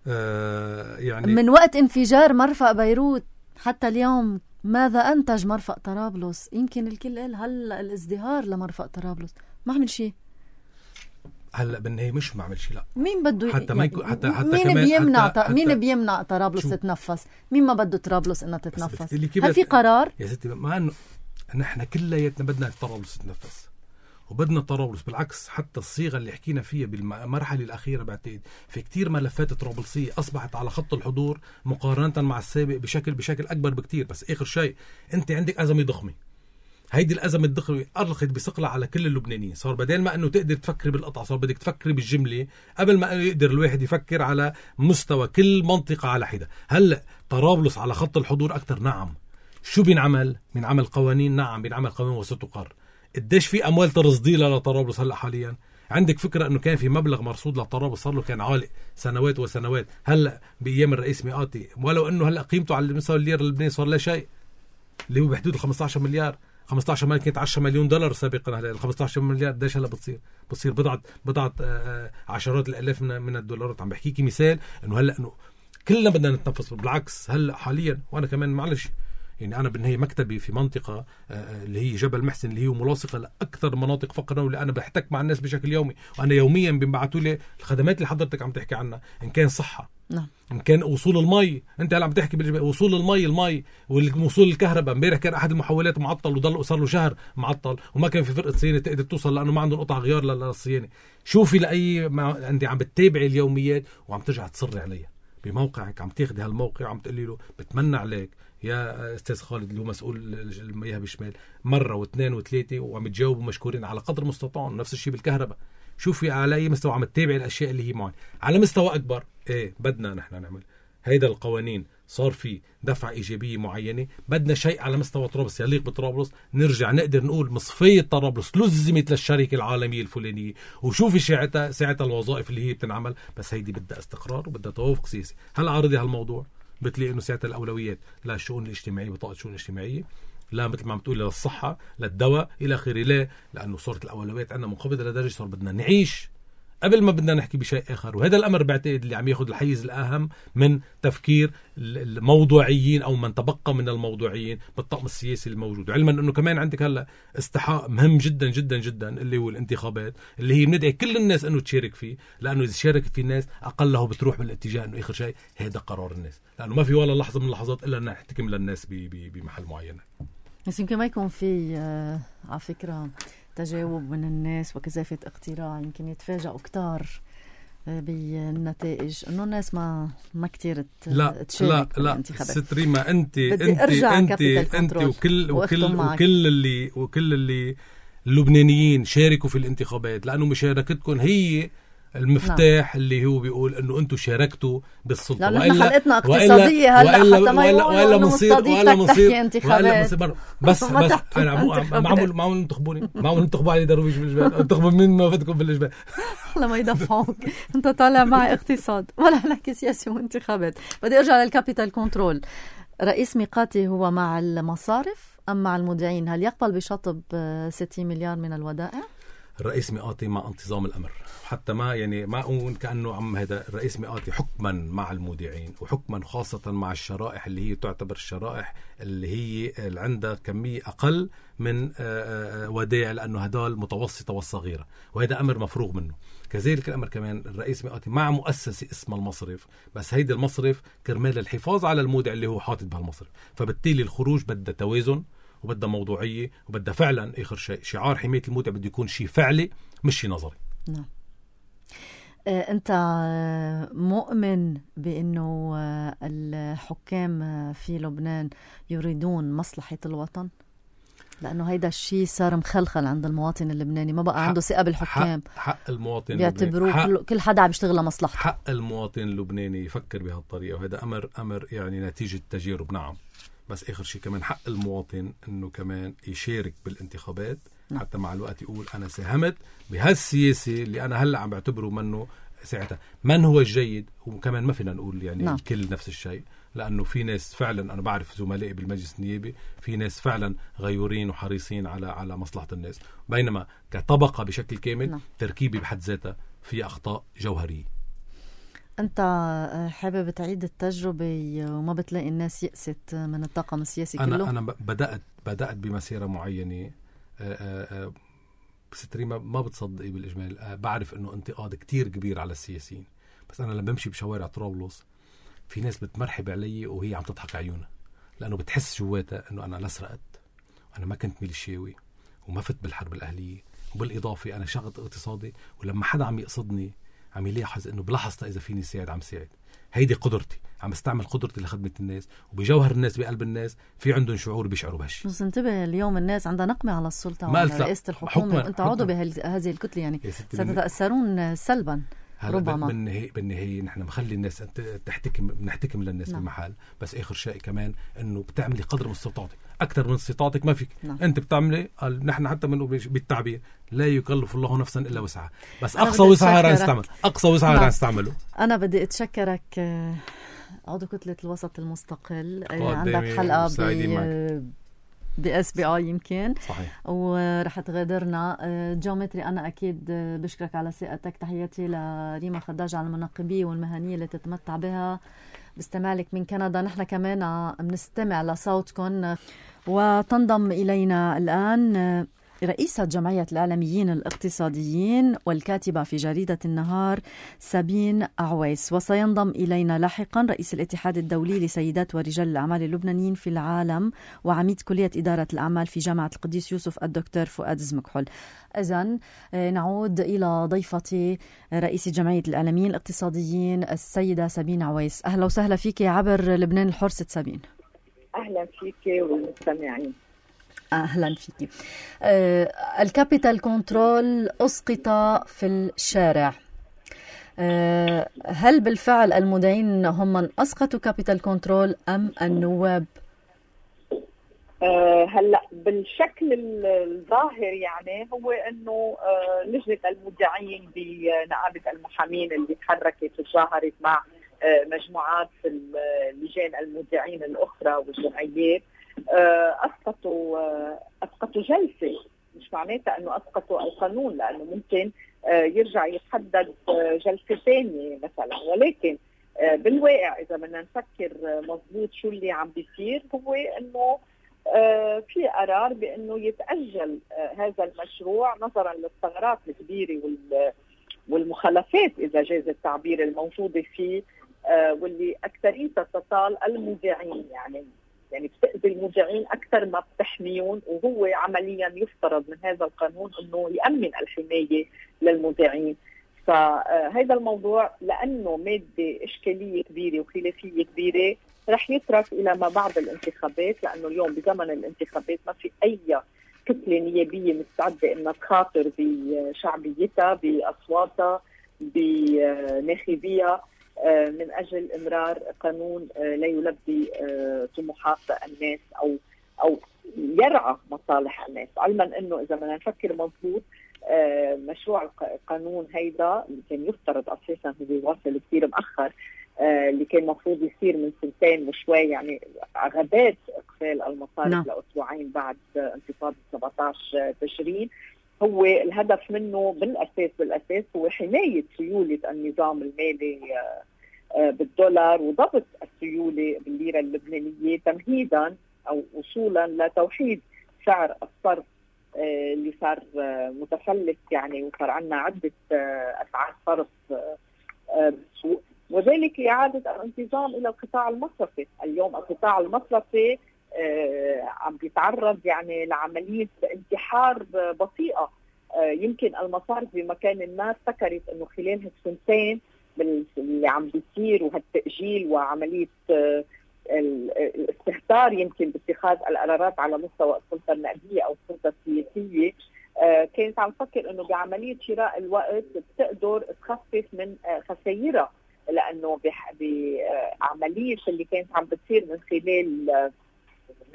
آه يعني من وقت انفجار مرفق بيروت حتى اليوم ماذا أنتج مرفق طرابلس؟ يمكن الكل قال هلا الازدهار لمرفق طرابلس، ما عمل شيء. هلا بالنهاية مش ما عمل شيء، لا مين بده حتى ما يكون حتى حتى مين كمان بيمنع حتى حتى مين بيمنع طرابلس تتنفس؟ مين ما بده طرابلس انها تتنفس؟ هل في قرار؟ يا ستي مع انه نحن كلياتنا بدنا طرابلس تتنفس وبدنا طرابلس، بالعكس حتى الصيغة اللي حكينا فيها بالمرحلة الأخيرة بعتقد في كتير ملفات طرابلسية أصبحت على خط الحضور مقارنة مع السابق بشكل بشكل أكبر بكتير. بس آخر شيء أنت عندك أزمة ضخمة، هيدي الأزمة الضخمة أرخت بثقلها على كل اللبنانيين. صار بدل ما أنه تقدر تفكر بالقطع صار بدك تفكر بالجملة قبل ما يقدر الواحد يفكر على مستوى كل منطقة على حدة. هلأ طرابلس على خط الحضور أكتر، نعم. شو بينعمل؟ بينعمل قوانين، نعم بينعمل قوانين وستقر. قديش في أموال ترصديلها لطرابلس هلأ حاليا؟ عندك فكرة أنه كان في مبلغ مرصود لطرابلس صار له كان عالق سنوات وسنوات. هلأ بأيام الرئيس مئاتي، ولو أنه هلأ قيمته على مستوى الليرة اللبناني صار لا شيء، اللي هو بحدود خمسة عشر مليار. خمسة عشر مليار كانت عشرة مليون دولار سابقا، هلا ال خمسة عشر مليار قديش هلا بتصير؟ بتصير بضعة بضعة عشرات الالاف من من الدولارات. عم بحكيكي مثال انه هلا انه كلنا بدنا نتنفس. بالعكس هلا حاليا وانا كمان معلش يعني انا بالنهايه مكتبي في منطقه اللي هي جبل محسن اللي هي ملاصقه لاكثر مناطق فقرا، واللي انا بحتك مع الناس بشكل يومي، وانا يوميا بيبعثوا لي الخدمات اللي حضرتك عم تحكي عنها، ان كان صحه، نعم، ان كان وصول المي. انت هلا عم تحكي بوصول المي المي ووصول الكهرباء. امبارح كان احد المحولات معطل وضل صار له شهر معطل وما كان في فرقه صيانه تقدر توصل لانه ما عندهم قطع غيار للصيانه. شوفي لاي ما انت عم بتتابعي اليوميات وعم ترجع تصري عليها بموقعك، عم تاخذي هالموقع وعم تقولي له بتمنى عليك يا استاذ خالد اللي هو مسؤول المياه بالشمال مره واثنين وثلاثه، وعم تجاوبوا مشكورين على قدر مستطاع. نفس الشيء بالكهرباء. شوفي على اي مستوى عم تتابعي الاشياء اللي هي معين. على مستوى اكبر ايه بدنا نحن نعمل هيدا القوانين، صار في دفعه ايجابيه معينه. بدنا شيء على مستوى طرابلس يليق بطرابلس، نرجع نقدر نقول مصفيه طرابلس لزمت للشركه العالميه الفلانيه، وشوفي ساعتها ساعتها الوظائف اللي هي بتنعمل. بس هيدي بدها استقرار وبدها توافق سياسي. هل عارضي هالموضوع بتلاقي انه ساعتها الاولويات لا الشؤون الاجتماعيه بطاقه الشؤون الاجتماعيه، لا مثل ما عم تقول للصحه للدواء الى اخره، لا لانه صارت الاولويات عندنا منخفضه لدرجه صار بدنا نعيش قبل ما بدنا نحكي بشيء آخر. وهذا الأمر بعتقد اللي عم ياخذ الحيز الأهم من تفكير الموضوعيين أو من تبقى من الموضوعيين بالطقم السياسي الموجود. علما أنه كمان عندك هلأ استحقاق مهم جدا جدا جدا اللي هو الانتخابات، اللي هي بندعي كل الناس أنه تشارك فيه، لأنه إذا شاركت فيه الناس أقله بتروح بالاتجاه أنه آخر شيء هذا قرار الناس، لأنه ما في ولا لحظة من اللحظات إلا أن نحتكم للناس بمحل معين. بس يمكن ما يكون في آه على فكرة تجاوب من الناس وكثافة اقتراع، يمكن يتفاجئوا كتار بالنتائج انه الناس ما ما كتير تشارك لا لا ستريما انت انت انت انت وكل وكل وكل اللي وكل اللي اللبنانيين شاركوا في الانتخابات، لانه مشاركتكم هي المفتاح. نعم. اللي هو بيقول انه انتم شاركتوا بالسلطه، لانه احنا حلقتنا اقتصاديه هلا حتى ما يقولوا انه مستضيفتك تحكي انتخابات. بس بس انا معمول معمول انتخبوني معمول انتخبوا علي درويش بالجبال، انتخبوا من ما بدكم بالجبال لما يدفعوك. انت طالع معي اقتصاد ولا نحكي سياسي وانتخابات. بدي ارجع للكابيتال كنترول. رئيس ميقاتي هو مع المصارف ام مع المودعين؟ هل يقبل بشطب ستين مليار من الودائع؟ الرئيس مئاتي مع انتظام الأمر، حتى ما يعني ما أقول كأنه عم هذا الرئيس مئاتي حكما مع المودعين، وحكما خاصة مع الشرائح اللي هي تعتبر الشرائح اللي هي اللي عندها كمية أقل من ودائع، لأنه هدول متوسطة والصغيرة، وهذا أمر مفروغ منه. كذلك الأمر كمان الرئيس مئاتي مع مؤسسة اسمها المصرف، بس هيدا المصرف كرمال الحفاظ على المودع اللي هو حاطط بهالمصرف، فبالتالي الخروج بدها توازن وبدها موضوعية وبدها فعلا آخر شيء شعار حماية المودع بده يكون شيء فعلي مش شيء نظري. نعم. أنت مؤمن بأنه الحكام في لبنان يريدون مصلحة الوطن؟ لأنه هيدا الشيء صار مخلخل عند المواطن اللبناني، ما بقى عنده ثقة بالحكام. حق, حق المواطن بيعتبروه حق كل حدا عم يشتغل لمصلحته. حق المواطن اللبناني يفكر بهالطريقة، وهذا أمر أمر يعني نتيجة تجارب. نعم، بس آخر شيء كمان حق المواطن إنه كمان يشارك بالانتخابات. نعم. حتى مع الوقت يقول أنا ساهمت بهالسياسي اللي أنا هلأ عم بعتبره منه ساعتها من هو الجيد. وكمان ما فينا نقول يعني نعم. الكل نفس الشيء، لأنه في ناس فعلا أنا بعرف زملائي بالمجلس النيابي في ناس فعلا غيورين وحريصين على على مصلحة الناس، بينما كطبقة بشكل كامل نعم. تركيبي بحد ذاتها في أخطاء جوهرية. أنت حابب تعيد التجربة وما بتلاقي الناس يأست من الطاقم السياسي أنا كله؟ أنا بدأت بدأت بمسيرة معينة. بس تريما ما بتصدقي بالإجمال، بعرف إنه انتقاد كتير كبير على السياسيين، بس أنا لما بمشي بشوارع طرابلس في ناس بتمرحب علي وهي عم تضحك عيونها، لأنه بتحس جواتها إنه أنا لا سرقت وأنا ما كنت ميليشياوي وما فت بالحرب الأهلية، وبالإضافة أنا شغل اقتصادي، ولما حدا عم يقصدني عم يلاحظ إنه بلحظة إذا فيني ساعد عم ساعد. هيدي قدرتي، عم استعمل قدرتي لخدمة الناس، وبجوهر الناس بقلب الناس في عندهم شعور بيشعروا بهالشيء. بس انتبه اليوم الناس عندها نقمة على السلطة وعلى رئاسة الحكومة، وانت عضو بهذه الكتلة، يعني ستتأثرون سلبا ربما. بالنهاية بالنهاية نحن مخلي الناس تحتكم نحتكم للناس نعم. بالمحل، بس آخر شيء كمان إنه بتعملي قدر من استطاعتك، أكثر من استطاعتك ما فيك نعم. أنت بتعملي، نحن حتى من بالتعبير لا يكلف الله نفسا إلا وسعها، بس أقصى وسعها رح نستعمل، أقصى وسعها رح نستعمله. أنا بدي أتشكرك عضو كتلة الوسط المستقل، عندك حلقة ب بإس بي آي يمكن صحيح، ورح تغادرنا. جيومتري أنا أكيد بشكرك على ثقتك. تحياتي لريما خداج على المناقبية والمهنية اللي تتمتع بها باستماعك من كندا. نحن كمان بنستمع لصوتكم. وتنضم إلينا الآن رئيسة جمعية الإعلاميين الاقتصاديين والكاتبة في جريدة النهار سابين عويس، وسينضم إلينا لاحقا رئيس الاتحاد الدولي لسيدات ورجال الأعمال اللبنانيين في العالم وعميد كلية إدارة الأعمال في جامعة القديس يوسف الدكتور فؤاد زمكحل. إذن نعود إلى ضيفتي رئيسة جمعية الإعلاميين الاقتصاديين السيدة سابين عويس. أهلا وسهلا فيك عبر لبنان الحر ست سابين. أهلا فيك والمستمعين. أهلا فيك. آه، الكابيتال كنترول أسقط في الشارع. آه، هل بالفعل المدعين هم من أسقطوا كابيتال كنترول أم النواب؟ آه، هلا بالشكل الظاهر يعني هو انه آه، لجنه المودعين بنقابه المحامين اللي تحركت وتظاهرت مع آه، مجموعات اللجان المودعين الاخرى والجمعيات أسقطوا أسقطوا جلسة، مش معناتها أنه أسقطوا القانون، لأنه ممكن يرجع يتحدد جلسة ثانية مثلا، ولكن بالواقع إذا بدنا نفكر مضبوط شو اللي عم بيصير هو أنه في قرار بأنه يتأجل هذا المشروع نظرا للثغرات الكبيرة والمخالفات إذا جاز التعبير الموجودة فيه، واللي أكثريتها تطال المودعين، يعني يعني بتأذي المودعين أكثر ما بتحميون، وهو عمليا يفترض من هذا القانون أنه يأمن الحماية للمودعين. فهذا الموضوع لأنه مادة إشكالية كبيرة وخلافية كبيرة رح يترك إلى ما بعد الانتخابات، لأنه اليوم بزمن الانتخابات ما في أي كتلة نيابية مستعدة أنها تخاطر بشعبيتها بأصواتها بناخبيها من أجل إمرار قانون لا يلبي طموحات الناس أو أو يرعى مصالح الناس، علما أنه إذا بدنا نفكر مضبوط مشروع القانون هيدا اللي كان يفترض أساسا هو واصل كثير مؤخر، اللي كان مفروض يصير من سنتين وشوي، يعني غابات إقفال المصارف no. لأسبوعين بعد انتفاضة سبعة عشر تشرين، هو الهدف منه بالاساس بالاساس هو حمايه سيوله النظام المالي بالدولار وضبط السيوله بالليره اللبنانيه تمهيدا او وصولا لتوحيد سعر الصرف اللي صار متفلت يعني وصار عندنا عده اسعار صرف بالسوق، وذلك لإعادة الانتظام إلى القطاع المصرفي. اليوم القطاع المصرفي عم بيتعرض يعني لعملية انتحار بطيئة. يمكن المصارف بمكان ما افتكرت أنه خلال هالسنتين اللي عم بيصير وهالتأجيل وعملية الاستهتار يمكن باتخاذ القرارات على مستوى السلطة النقدية أو السلطة السياسية، كانت عم تفكر انه بعمليه شراء الوقت بتقدر تخفف من خسائرها، لانه بعمليه اللي كانت عم بتصير من خلال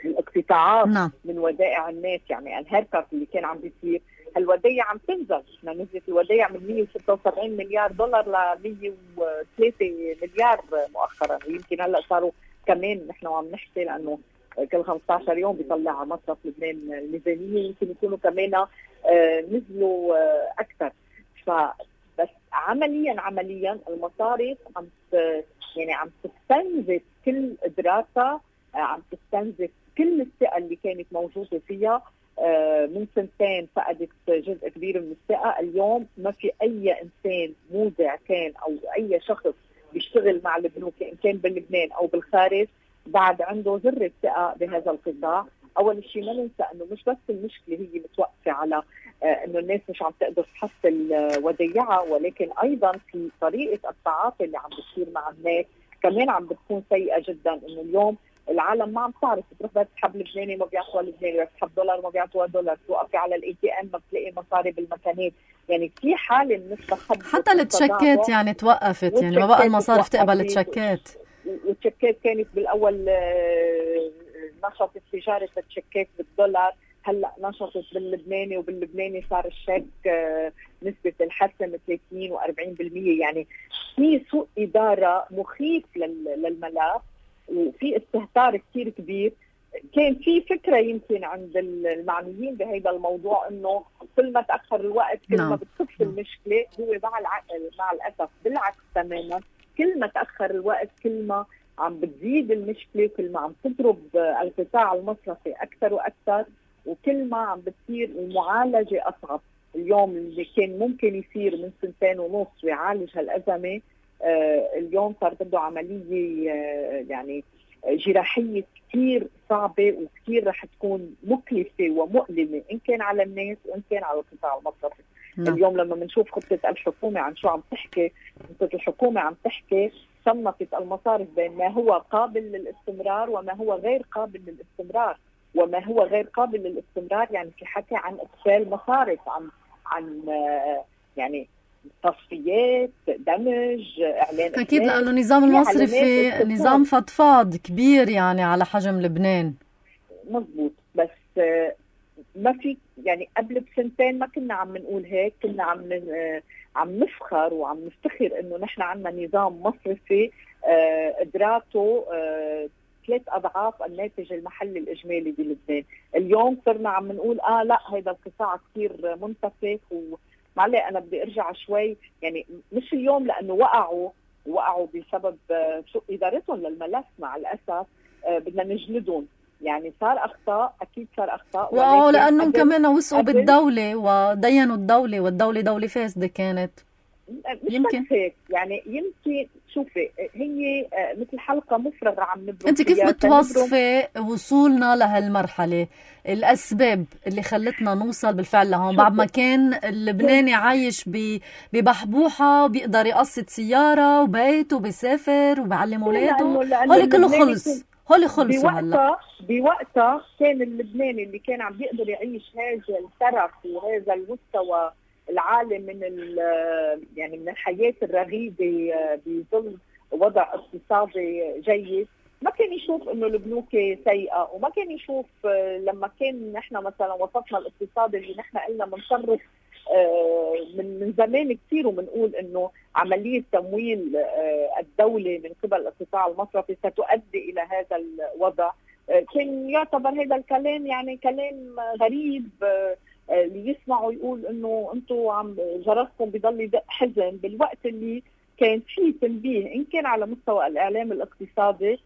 الاقتطاعات نعم. من ودائع الناس، يعني الهيركات اللي كان عم بيصير، الودائع عم تنزل، احنا نزلت الودائع من مية وستة وسبعين مليار دولار ل مية وثلاثة مليار مؤخرا، ويمكن هلا صاروا كمان نحن عم نحكي لانه كل خمسة عشر يوم بيطلع مصرف لبنان الميزانيه، يمكن يكونوا كمان آه نزلوا آه اكثر. فبس عمليا عمليا المصارف عم يعني عم تستنزف كل قدراتها، آه عم تستنزف كل الثقه اللي كانت موجوده فيها. آه من سنتين فقدت جزء كبير من الثقه، اليوم ما في اي انسان مودع كان او اي شخص بيشتغل مع البنوك ان كان بلبنان او بالخارج بعد عنده ذرة ثقة بهذا القطاع. أول شيء ما ننسى أنه مش بس المشكلة هي متوقفة على آه أنه الناس مش عم تقدر تحصل آه وديعها، ولكن أيضا في طريقة التعاطي اللي عم بتصير مع الناس كمان عم بتكون سيئة جدا. أنه اليوم العالم ما عم تعرف تروح بدها تسحب لبناني ما بيعطوها لبناني، بدها تسحب دولار ما بيعطوها دولار، توقفي على الاي تي ام ما بتلاقي مصاري بالمكانات، يعني في حالة من التخبط حتى التشيكات يعني توقفت، يعني ما بقى المصارف تقبل التشيكات، والتشيكات كانت بالاول نشطت تجاره التشيكات بالدولار، هلا نشطت باللبناني، وباللبناني صار الشيك نسبه الحسم ثلاثين وأربعين بالمية، يعني في سوء اداره مخيف للملف وفي استهتار كثير كبير. كان في فكره يمكن عند المعنيين بهذا الموضوع انه كل ما تاخر الوقت كل ما بتخف المشكله، هو مع العقل مع الاسف بالعكس تماما، كل ما تاخر الوقت كل ما عم بتزيد المشكله، كل ما عم تضرب القطاع المصرفي اكثر واكثر، وكل ما عم بتصير المعالجه اصعب. اليوم اللي كان ممكن يصير من سنتين ونص ويعالج هالازمه، آه اليوم صار بده عمليه آه يعني جراحيه كثير صعبه وكثير رح تكون مكلفه ومؤلمه ان كان على الناس وان كان على القطاع المصرفي. نعم. اليوم لما بنشوف خطه الحكومه عن شو عم تحكي، خطه الحكومه عم تحكي صنفت المصارف بين ما هو قابل للاستمرار وما هو غير قابل للاستمرار، وما هو غير قابل للاستمرار يعني في حكي عن اقفال مصارف، عن عن يعني تصفيات، دمج، اعلان اكيد، لانه النظام المصرفي نظام فضفاض كبير يعني على حجم لبنان. مزبوط، بس ما في يعني قبل بسنتين ما كنا عم نقول هيك، كنا عم عم نفخر وعم نفتخر انه نحن عندنا نظام مصرفي ادراته ثلاث اضعاف الناتج المحلي الاجمالي بلبنان. اليوم صرنا عم نقول اه لا هذا القطاع كثير منتفخ، ومعلي انا بدي ارجع شوي، يعني مش اليوم لانه وقعوا وقعوا بسبب سوء ادارتهم للملف مع الاسف بدنا نجلدهم، يعني صار اخطاء، اكيد صار اخطاء، واه لانهم كمان وثقوا بالدوله ودينوا الدوله، والدوله دوله فاسده كانت. مش يمكن هيك يعني، يمكن شوفي هي مثل حلقه مفرغه عم نبرم. انت كيف بتوصفي وصولنا لهالمرحله، الاسباب اللي خلتنا نوصل بالفعل لهون بعد ما كان اللبناني عايش ببحبوحه بيقدر يقسط سياره وبيته وبيسافر وبيعلم اولاده، هول كله خلص، هول خلصوا هلا. بوقتها كان اللبناني اللي كان عم بيقدر يعيش هذا الترف وهذا المستوى العالي من يعني من الحياه الرغيده بظل وضع اقتصادي جيد، ما كان يشوف انه البنوك سيئه، وما كان يشوف لما كان نحن مثلا وصفنا الاقتصاد اللي نحن قلنا بنصرف من من زمان كثير وبنقول انه عمليه تمويل الدوله من قبل القطاع المصرفي ستؤدي الى هذا الوضع، كان يعتبر هذا الكلام يعني كلام غريب اللي يسمعوا يقول انه انتم عم جرسكم بضل يدق حزن بالوقت اللي كان في تنبيه ان كان على مستوى الاعلام الاقتصادي،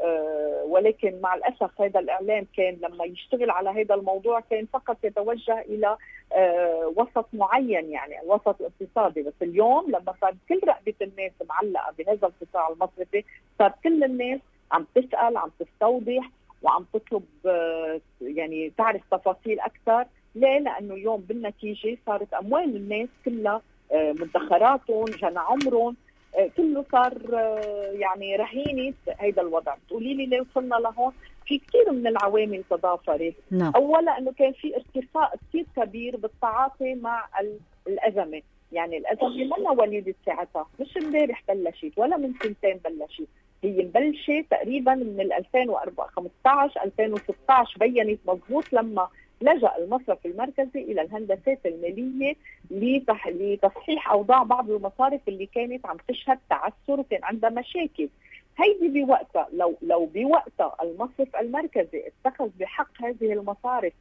أه ولكن مع الاسف هذا الاعلام كان لما يشتغل على هذا الموضوع كان فقط يتوجه الى أه وسط معين، يعني الوسط الاقتصادي. بس اليوم لما صار كل رقبه الناس معلقه بهذا القطاع المصرفي، صار كل الناس عم تسال، عم تستوضح، وعم تطلب أه يعني تعرف تفاصيل اكثر. ليه؟ لانه اليوم بالنتيجه صارت اموال الناس كلها أه مدخراتهم، جنى عمرهم، كله صار يعني رهينة هيدا الوضع. بتقولي لي ليه وصلنا لهون؟ في كثير من العوامل تضافرت. نعم. أولا أنه كان في ارتفاع كثير كبير بالتعاطي مع الأزمة، يعني الأزمة منا وليدة ساعتها، مش امبارح بلشت ولا من سنتين بلشت، هي مبلشة تقريبا من ألفين وخمسة عشر ألفين وستة عشر، بينت مضبوط لما لجأ المصرف المركزي إلى الهندسات المالية لتصحيح أوضاع بعض المصارف اللي كانت عم تشهد تعثر وكان عندها مشاكل. هيدي بوقتها لو لو بوقتها المصرف المركزي اتخذ بحق هذه المصارف،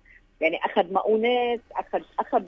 يعني أخذ مؤونات، أخذ أخذ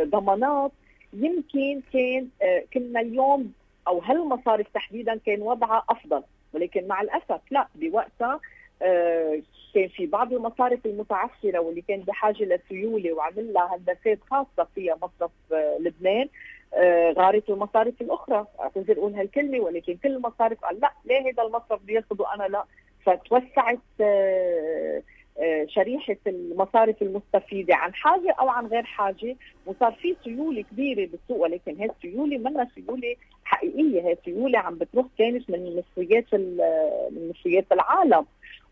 ضمانات، يمكن كان كنا اليوم أو هالمصارف تحديدا كان وضعها أفضل. ولكن مع الأسف لا، بوقتها آه كان في بعض المصارف المتعثرة واللي كان بحاجة لسيولة وعمل لها هندسات خاصة فيها مصرف آه لبنان، آه غارت المصارف الأخرى. أعتذر أقول هالكلمة، ولكن كل المصارف قال لا، ليه هذا المصرف بياخده أنا لا؟ فتوسعت آه آه شريحة المصارف المستفيدة عن حاجة أو عن غير حاجة، وصار في سيولة كبيرة بالسوق. ولكن هذه السيولة منها سيولة حقيقية، هذه سيولة عم بتروح كانت من مصريات من مصريات العالم،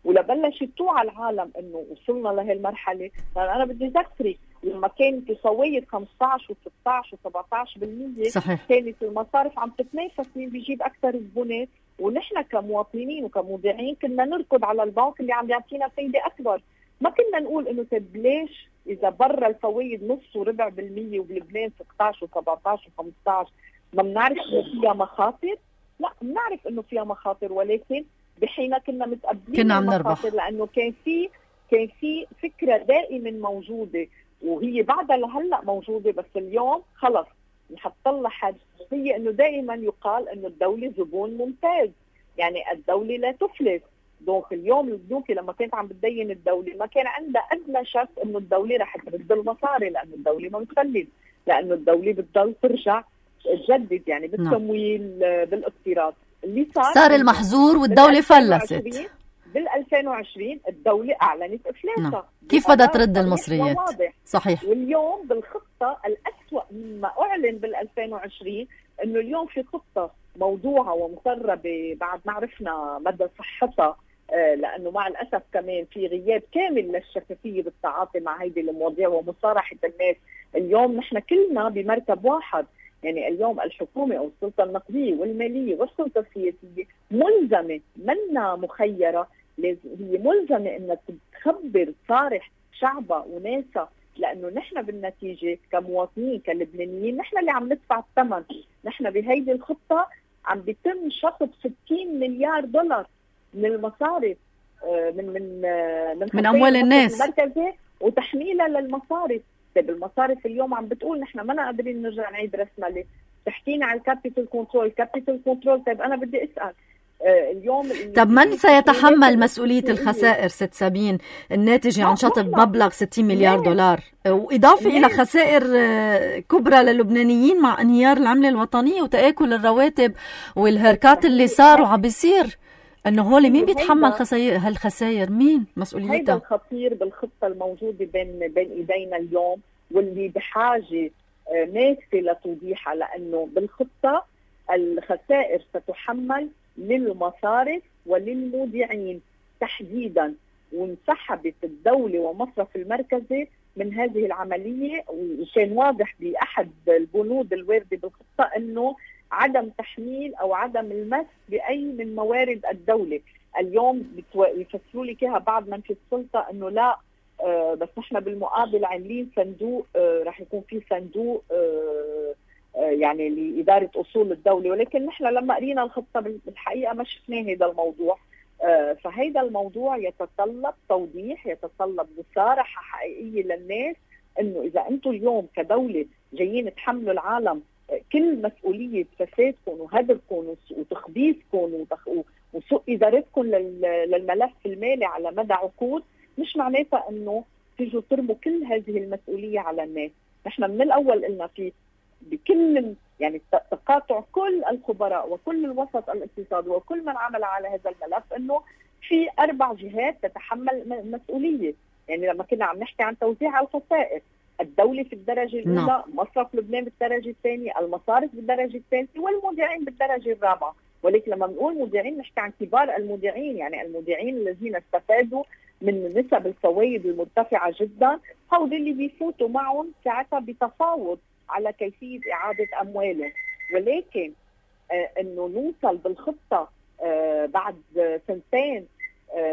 ولبلشت توعى العالم انه وصلنا لهالمرحله. انا بدي اذكرك لما كانت فوائد خمسة عشر وستة عشر وسبعة عشر بالمية، صحيح. كانت المصارف عم تتنافس مين بيجيب اكثر زبونات، ونحن كمواطنين وكمودعين كنا نركض على البنك اللي عم يعطينا فايده اكبر. ما كنا نقول انه طيب ليش اذا برا الفوائد نص وربع بالمية وبلبنان ستة عشر وسبعة عشر وخمسة عشر ما بنعرف انه فيها مخاطر؟ لا، بنعرف انه فيها مخاطر، ولكن بحين كنا متقبلين كنا عم نربح، لانه كان في كان في فكره دائما موجوده، وهي بعدها لهلا موجوده. بس اليوم خلص نحط لها حد، هي انه دائما يقال انه الدوله زبون ممتاز، يعني الدوله لا تفلس. دونك اليوم البنوك لما كانت عم بتدين الدوله ما كان عندها ادنى شك انه الدوله رح ترد المصاري، لانه الدوله ما بتفلس، لانه الدوله بتضل ترجع تجدد يعني بالتمويل بالاقتراض. اللي صار صار المحظور والدوله فلست. بال ألفين وعشرين الدوله اعلنت افلاسها. نعم. كيف بدها ترد المصريات؟ صحيح. واليوم بالخطه الاسوأ مما اعلن بال ألفين وعشرين انه اليوم في خطه موضوعه ومسربه بعد ما عرفنا مدى صحتها، آه لانه مع الاسف كمان في غياب كامل للشفافيه بالتعاطي مع هيدي المواضيع ومصارحه الناس. اليوم نحن كلنا بمركب واحد، يعني اليوم الحكومه او السلطه النقديه والماليه والسلطه السياسيه ملزمه، منا مخيره، لازم هي ملزمه انها تخبر تصارح شعبها وناسها، لانه نحن بالنتيجه كمواطنين كلبنانيين نحن اللي عم ندفع الثمن. نحن بهيدي الخطه عم بيتم شطب ستين مليار دولار من المصارف، من من من, من اموال الناس المركزي وتحميلها للمصارف. طيب المصارف اليوم عم بتقول نحن ما قادرين نرجع نعيد رسمله، تحكينا على الكابيتال كنترول، كابيتال كنترول. طيب انا بدي اسال آه اليوم طب من سيتحمل مسؤوليه الخسائر ست سابين الناتجه عن شطب مبلغ ستين مليار دولار، واضافه الى خسائر كبرى للبنانيين مع انهيار العمله الوطنيه وتآكل الرواتب والهركات اللي صاروا عم بيصير؟ انه هول مين بيتحمل خسائر هالخسائر؟ مين مسؤوليتها؟ هيدا الخطير بالخطه الموجوده بين بين ايدينا اليوم، واللي بحاجه ماسه لتوضيحها، لانه بالخطه الخسائر ستحمل للمصارف وللمودعين تحديدا، وانسحبت الدوله ومصرف المركزي من هذه العمليه. وكان واضح باحد البنود الوارده بالخطه انه عدم تحميل او عدم المس باي من موارد الدوله. اليوم يفسروا لي كده بعض من في السلطه انه لا، آه بس نحن بالمقابل عاملين صندوق، آه راح يكون في صندوق آه آه يعني لاداره اصول الدوله، ولكن نحن لما قرينا الخطه بالحقيقه ما شفناه هذا الموضوع. آه فهذا الموضوع يتطلب توضيح، يتطلب مصارحه حقيقيه للناس، انه اذا انتم اليوم كدوله جايين تحملوا العالم كل مسؤوليه فسادكم وهدركم وتخبيثكم وسوء ادارتكم للملف المالي على مدى عقود، مش معناتها انه تيجوا ترموا كل هذه المسؤوليه على الناس. نحن من الاول قلنا في بكل يعني تقاطع كل الخبراء وكل الوسط الاقتصادي وكل من عمل على هذا الملف انه في اربع جهات تتحمل مسؤوليه. يعني لما كنا عم نحكي عن توزيع الخسائر، الدولة في الدرجة الأولى، مصرف لبنان بالدرجة الثانية، المصارف بالدرجة الثالثة، والمودعين بالدرجة الرابعة. ولكن لما بنقول مودعين نحكي عن كبار المودعين، يعني المودعين الذين استفادوا من نسب الفوائد المرتفعة جدا، هؤلاء اللي بيفوتوا معهم ساعتها بتفاوض على كيفية إعادة أموالهم. ولكن آه إنه نوصل بالخطة آه بعد سنتين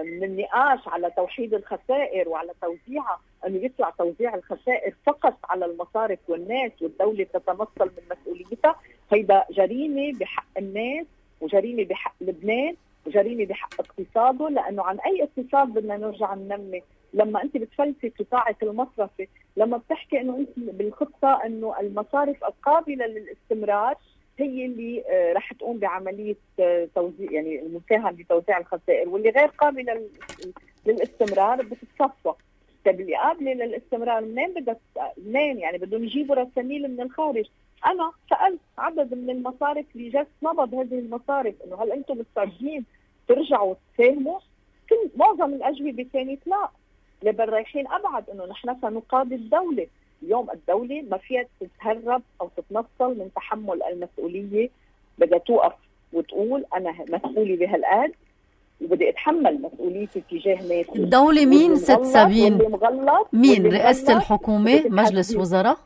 من النقاش على توحيد الخسائر وعلى توزيعها، انه يطلع توزيع الخسائر فقط على المصارف والناس والدوله تتمثل من مسؤوليتها، هيدا جريمه بحق الناس وجريمه بحق لبنان وجريمه بحق اقتصاده. لانه عن اي اقتصاد بدنا نرجع ننمي لما انت بتفلسي قطاعك المصرفي، لما بتحكي انه انت بالخطه انه المصارف القابله للاستمرار هي اللي رح تقوم بعمليه توزيع، يعني المساهمه بتوزيع الخسائر، واللي غير قابله للاستمرار بتتصفى. طيب اللي قابله للاستمرار منين بدها منين؟ يعني بدهم يجيبوا رساميل من الخارج. انا سالت عدد من المصارف اللي جت نبض هذه المصارف انه هل انتم مستعدين ترجعوا تساهموا؟ كل معظم الاجوبه كانت لا، بل رايحين ابعد انه نحن سنقاضي الدوله. اليوم الدولة ما فيها تتهرب أو تتنصل من تحمل المسؤولية، بدها توقف وتقول أنا مسؤولي بهالقد وبدي أتحمل مسؤوليتي تجاه ناسي. الدولة مين ست سابين؟ مين؟ رئاسة الحكومة؟ مجلس وزراء؟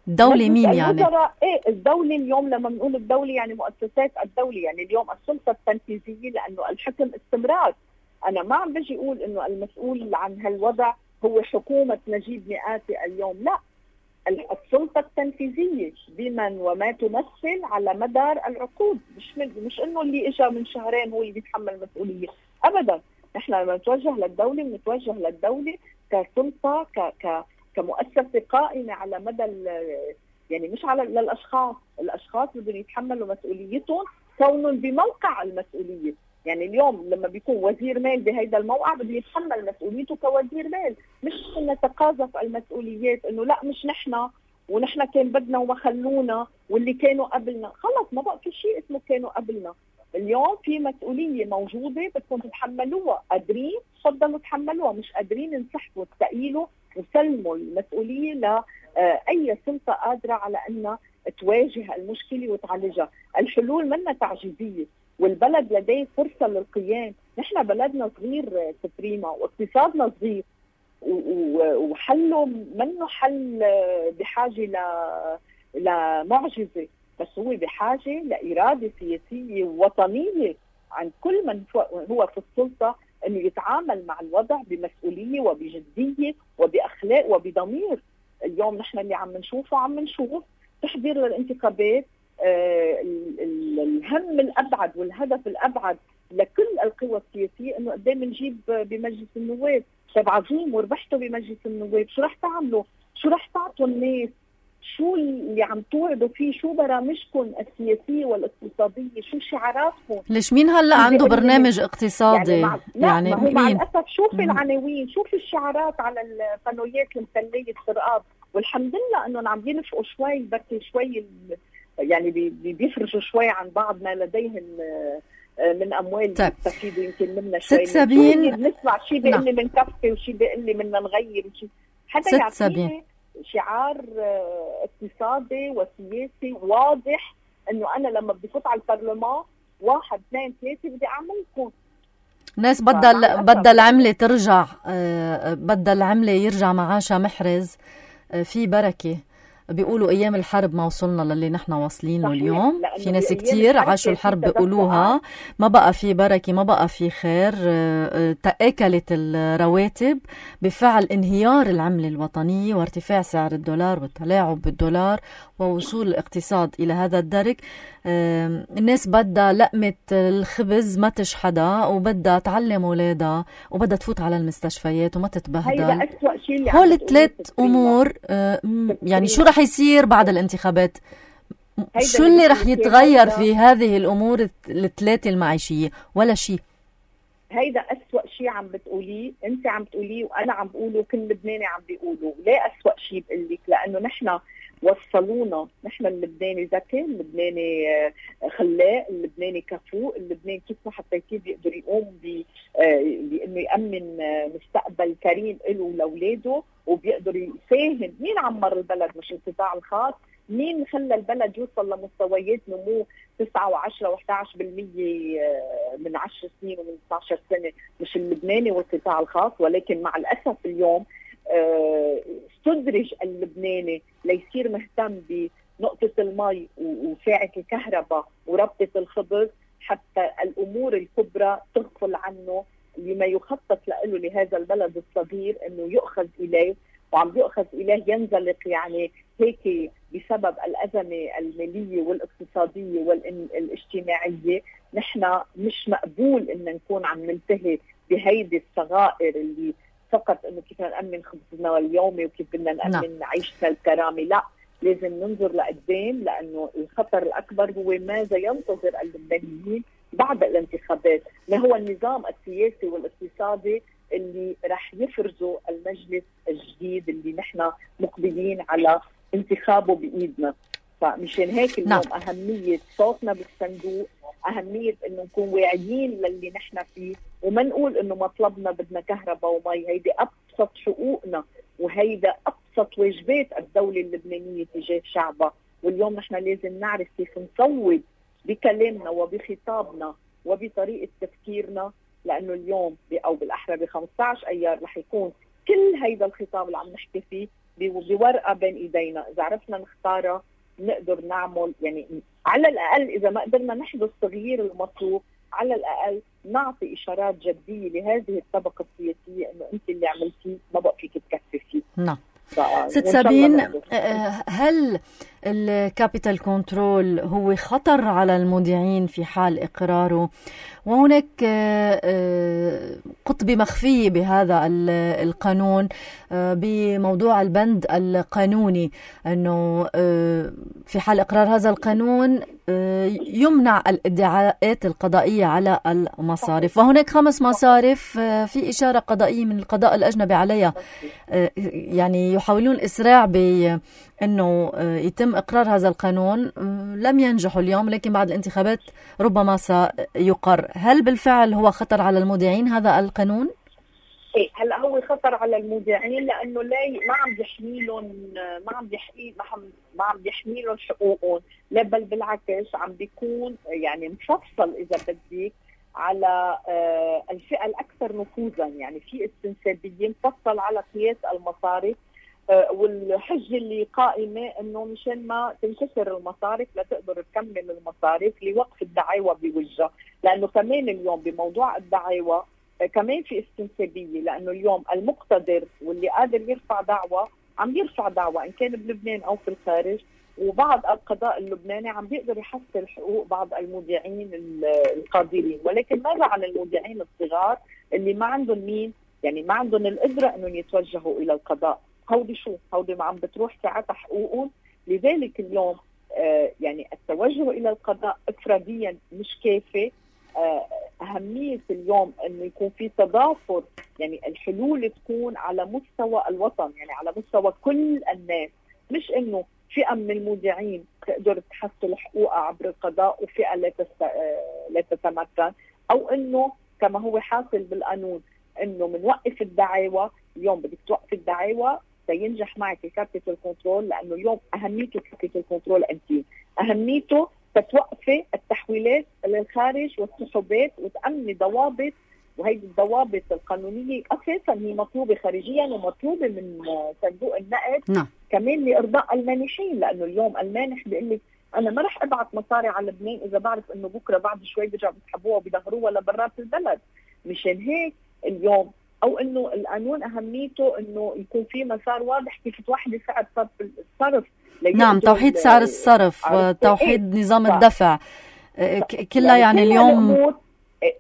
الدولة مين يعني؟ إيه الدولة اليوم لما بنقول الدولة يعني مؤسسات الدولة، يعني اليوم السلطة التنفيذية، لأنه الحكم استمرار. أنا ما عم بجي أقول إنه المسؤول عن هالوضع هو حكومة نجيب مئاتي اليوم، لا، السلطة التنفيذية بمن وما تمثل على مدار العقود، مش من مش انه اللي اجى من شهرين هو اللي بيتحمل مسؤولية ابدا. نحن لما نتوجه للدولة بنتوجه للدولة كسلطة ك ك كمؤسسة قائمة على مدى يعني مش على للاشخاص، الاشخاص بدهم يتحملوا مسؤوليتهم كونهم بموقع المسؤولية. يعني اليوم لما بيكون وزير مال بهيدا الموقع بده يتحمل مسؤوليته كوزير مال، مش نتقاذف المسؤوليات انه لا مش نحن ونحن كان بدنا وما خلونا واللي كانوا قبلنا. خلص ما بقى في شيء اسمه كانوا قبلنا. اليوم في مسؤولية موجودة بدكم تتحملوها، قادرين تفضلوا تحملوها، مش قادرين انسحبوا استقيلوا وسلموا المسؤولية لأي سلطة قادرة على أنها تواجه المشكلة وتعالجها. الحلول منا تعجيزية والبلد لديه فرصة للقيام. نحن بلدنا صغير سبريما واقتصادنا صغير وحله منه حل بحاجة لمعجزة، بس هو بحاجة لإرادة سياسية وطنية عند كل من هو في السلطة أنه يتعامل مع الوضع بمسؤولية وبجدية وبأخلاق وبضمير. اليوم نحن اللي عم نشوفه عم نشوف تحضير للانتخابات، آه الهم الأبعد والهدف الأبعد لكل القوى السياسية أنه قدام نجيب بمجلس النواب. طيب عظيم وربحتوا بمجلس النواب، شو رح تعملوا؟ شو رح تعطوا الناس؟ شو اللي عم توعدوا فيه؟ شو برامجكم السياسية والاقتصادية؟ شو شعاراتكم؟ ليش مين هلا عنده برنامج اقتصادي؟ يعني, مع... يعني ما هو مع الأسف شوفي العناوين، شوفي الشعارات على القنوات المثلية السرقات، والحمد لله أنهم عم ينفقوا شوي بركي شوي يعني بيفرجوا شوي عن بعض ما لديهم من أموال يستفيدوا يمكن منا شوي. ست سابين بنسمع شيء بيقول لي من كفي وشيء بيقول لي بدنا نغير وشيء حتى يعطيني شعار اقتصادي وسياسي واضح انه انا لما بدي فوت على البرلمان واحد اثنين ثلاثة بدي اعملكم. ناس بدها بدها العملة ترجع، بدها العملة يرجع معاشها محرز في بركة. بيقولوا أيام الحرب ما وصلنا للي نحن واصلين له اليوم. في ناس بأيام كتير الحرب عاشوا كان الحرب في بيقولوها ما بقى في بركة، ما بقى في خير، آه، تأكلت الرواتب بفعل انهيار العملة الوطنية وارتفاع سعر الدولار والتلاعب بالدولار ووصول الاقتصاد إلى هذا الدرك. آه، الناس بدها لقمة الخبز ما تشحدها، وبدها تعلم أولادها، وبدها تفوت على المستشفيات وما تتبهدل. هيدا أسوأ شيء اللي هول الثلاث أمور. آه، يعني شو رح يصير بعد الانتخابات؟ شو اللي رح يتغير في هذه الأمور الثلاثة المعيشية؟ ولا شيء. هيدا أسوأ شيء عم بتقوليه، انت عم بتقوليه وانا عم بقوله، كل لبناني عم بيقوله. ليه أسوأ شيء بقلك؟ لأنه نحن وصلونا، نحن اللبناني ذكي، اللبناني خلاق، اللبناني كفوء، اللبناني كيف ما حطيتيه بيقدر يقوم بانه يأمن مستقبل كريم له ولاولاده، وبيقدر يساهم. مين عمر البلد؟ مش القطاع الخاص. مين خلى البلد يوصل لمستويات نمو تسعة وعشرة وإحدى عشر بالمية من عشر سنين ومن اثنتي عشرة سنة؟ مش اللبناني والقطاع الخاص. ولكن مع الأسف اليوم استدرج اللبناني ليصير مهتم بنقطة المي وساعة الكهرباء وربطة الخبز، حتى الأمور الكبرى تغفل عنه لما يخطط له لهذا البلد الصغير انه يؤخذ اليه، وعم بيؤخذ اليه ينزلق. يعني هيك بسبب الأزمة المالية والاقتصادية والاجتماعية نحن مش مقبول ان نكون عم ننتهي بهيدي الصغائر اللي فقط انه كيف نأمن خبزنا اليومي وكيف بدنا نأمن عيشنا الكرامي. لا، لازم ننظر لقدام، لانه الخطر الاكبر هو ماذا ينتظر اللبنانيين بعد الانتخابات، ما هو النظام السياسي والاقتصادي اللي رح يفرزه المجلس الجديد اللي نحن مقبلين على انتخابه بإيدنا. فمشان هيك اليوم نعم. أهمية صوتنا بالصندوق، أهمية إنه نكون واعيين للي نحن فيه، وما نقول إنه مطلبنا بدنا كهرباء ومي. هيدي أبسط حقوقنا، وهيدا أبسط واجبات الدولة اللبنانية تجاه شعبها. واليوم نحن لازم نعرف كيف نصوت بكلامنا وبخطابنا وبطريقة تفكيرنا، لأنه اليوم أو بالأحرى ب خمسة عشر أيار رح يكون كل هيدا الخطاب اللي عم نحكي فيه بورقة بين إيدينا. إذا عرفنا نختارها نقدر نعمل، يعني على الأقل إذا ما قدرنا نحدث التغيير المطلوب، على الأقل نعطي إشارات جدية لهذه الطبقة السياسية إنه أنت اللي عملتيه ما بقى فيك تكفي فيه. نعم. ست سابين، هل الكابيتال كنترول هو خطر على المودعين في حال إقراره؟ وهناك قطبة مخفية بهذا القانون بموضوع البند القانوني، أنه في حال إقرار هذا القانون يمنع الادعاءات القضائية على المصارف، وهناك خمس مصارف في إشارة قضائية من القضاء الأجنبي عليها، يعني يحاولون الإسراع بأنه يتم إقرار هذا القانون. لم ينجحوا اليوم، لكن بعد الانتخابات ربما سيقر. هل بالفعل هو خطر على المودعين هذا القانون؟ ايه، هلا هو خطر على المودعين لانه لا ما عم بيحميلهم ما عم بيحمي ما عم بيحميلهم حقوقهم، لا بل بالعكس عم بيكون يعني مفصل اذا بدك على آه الفئه الاكثر نفوذا. يعني في استنسابيه مفصل على قياس المصارف، آه والحجه اللي قائمه انه مشان ما تنكسر المصارف لا تقدر تكمل المصارف لوقف الدعاوى بوجهها. لانه كمان اليوم بموضوع الدعاوى كمان في استنسابية، لأنه اليوم المقتدر واللي قادر يرفع دعوة عم يرفع دعوة إن كان بلبنان أو في الخارج، وبعض القضاء اللبناني عم بيقدر يحصل حقوق بعض المودعين القادرين. ولكن ماذا عن المودعين الصغار اللي ما عندهم مين، يعني ما عندهم القدرة أنهم يتوجهوا إلى القضاء؟ هودي شو؟ هودي ما عم بتروح ساعتها حقوقهم. لذلك اليوم آه يعني التوجه إلى القضاء إفراديا مش كافي. أهمية اليوم أنه يكون في تضافر، يعني الحلول تكون على مستوى الوطن، يعني على مستوى كل الناس، مش أنه فئة من المودعين تقدر تحصل حقوقها عبر القضاء وفئة لا, تست... لا تتمكن، أو أنه كما هو حاصل بالقانون أنه منوقف الدعاوى. اليوم بدك توقف الدعاوى سينجح معك الكابيتال كنترول، لأنه اليوم أهميته الكابيتال كنترول أنتين أهميته تتوقفي التحويلات للخارج والسحوبات وتأمني ضوابط، وهي الضوابط القانونية أساسا هي مطلوبة خارجيا ومطلوبة من صندوق النقد. نعم. كمان لارضاء المانحين، لانه اليوم المانح بيقول لك انا ما رح ابعث مصاري على لبنان اذا بعرف انه بكره بعد شوي بيرجعوا بيسحبوها وبيظهروها لبرات البلد. مشان هيك اليوم او انه القانون اهميته انه يكون في مسار واضح كيف توحدي سعر صرف الصرف. نعم، توحيد سعر الصرف، توحيد نظام الدفع كلها. يعني اليوم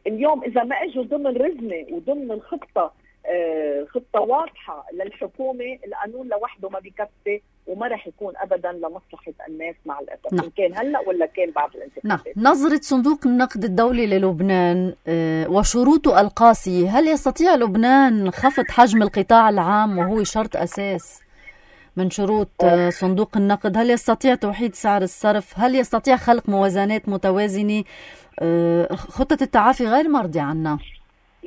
اليوم اذا ما اجوا ضمن رزمه وضمن الخطه خطه واضحه للحكومه، القانون لوحده ما بيكفي وما رح يكون ابدا لمصلحه الناس مع الاسف. نعم. إن كان هلا ولا كان بعد الانتخابات. نعم. نظره صندوق النقد الدولي للبنان وشروطه القاسيه، هل يستطيع لبنان خفض حجم القطاع العام وهو شرط اساس من شروط صندوق النقد؟ هل يستطيع توحيد سعر الصرف؟ هل يستطيع خلق موازنات متوازنه؟ خطه التعافي غير مرضي عنا.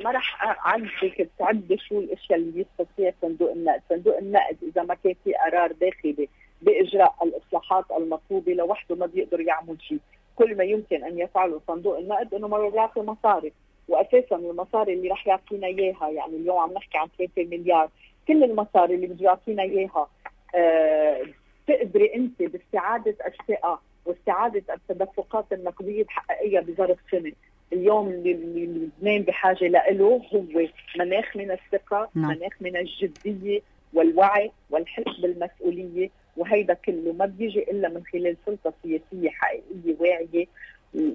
ما رح اعدك تعد شو الاشياء اللي يستطيع صندوق النقد. صندوق النقد اذا ما كان في قرار داخلي باجراء الاصلاحات المطلوبه لوحده ما بيقدر يعمل شيء. كل ما يمكن ان يفعله صندوق النقد انه ما بيعطي مصاري، واساسا المصاري اللي رح يعطينا اياها، يعني اليوم عم نحكي عن ثلاثة مليار، كل المصاري اللي بده يعطينا اياها أه تقدري انت باستعاده الثقه واستعاده التدفقات النقديه تحققيها بظرف سنه. اليوم اللي لبنان بحاجه له هو مناخ من الثقه، نعم. مناخ من الجديه والوعي والحس بالمسؤوليه، وهيدا كله ما بيجي الا من خلال سلطه سياسيه حقيقيه واعيه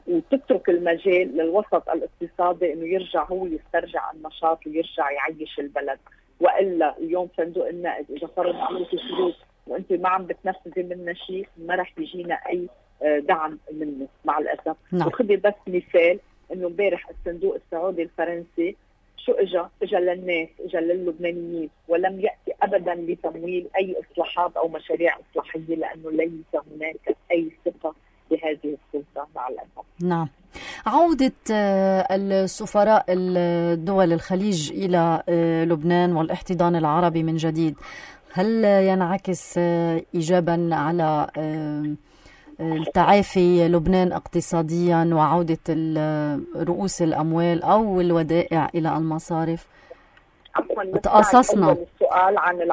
وتترك المجال للوسط الاقتصادي انه يرجع هو يسترجع النشاط ويرجع يعيش البلد. والا اليوم صندوق النقد اذا فرض عليك شروط وانت ما عم بتنفذي منها شيء ما رح يجينا اي دعم منه مع الاسف. نعم. وخذي بس مثال انه امبارح الصندوق السعودي الفرنسي شو اجى؟ اجى للناس، اجى للبنانيين، ولم ياتي ابدا لتمويل اي اصلاحات او مشاريع اصلاحيه لانه ليس هناك اي ثقه بهذه السلطه مع الاسف. نعم. عودة السفراء الدول الخليج إلى لبنان والاحتضان العربي من جديد، هل ينعكس إيجابا على التعافي لبنان اقتصاديا وعودة رؤوس الأموال أو الودائع إلى المصارف؟ تقاصصنا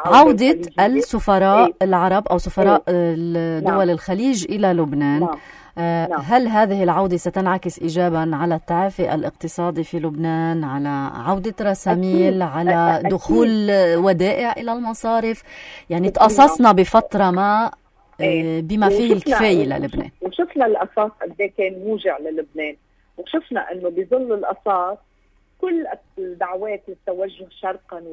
عودة السفراء إيه؟ العرب أو سفراء إيه؟ الدول نعم. الخليج إلى لبنان. نعم. آه نعم. هل هذه العودة ستنعكس إيجابا على التعافي الاقتصادي في لبنان، على عودة رساميل، على أكيد. دخول أكيد. ودائع إلى المصارف؟ يعني تقاصصنا بفترة ما بما فيه الكفاية للبنان، وشفنا الأساس قد كان موجع للبنان، وشفنا أنه بظل الأساس كل الدعوات للتوجه شرقا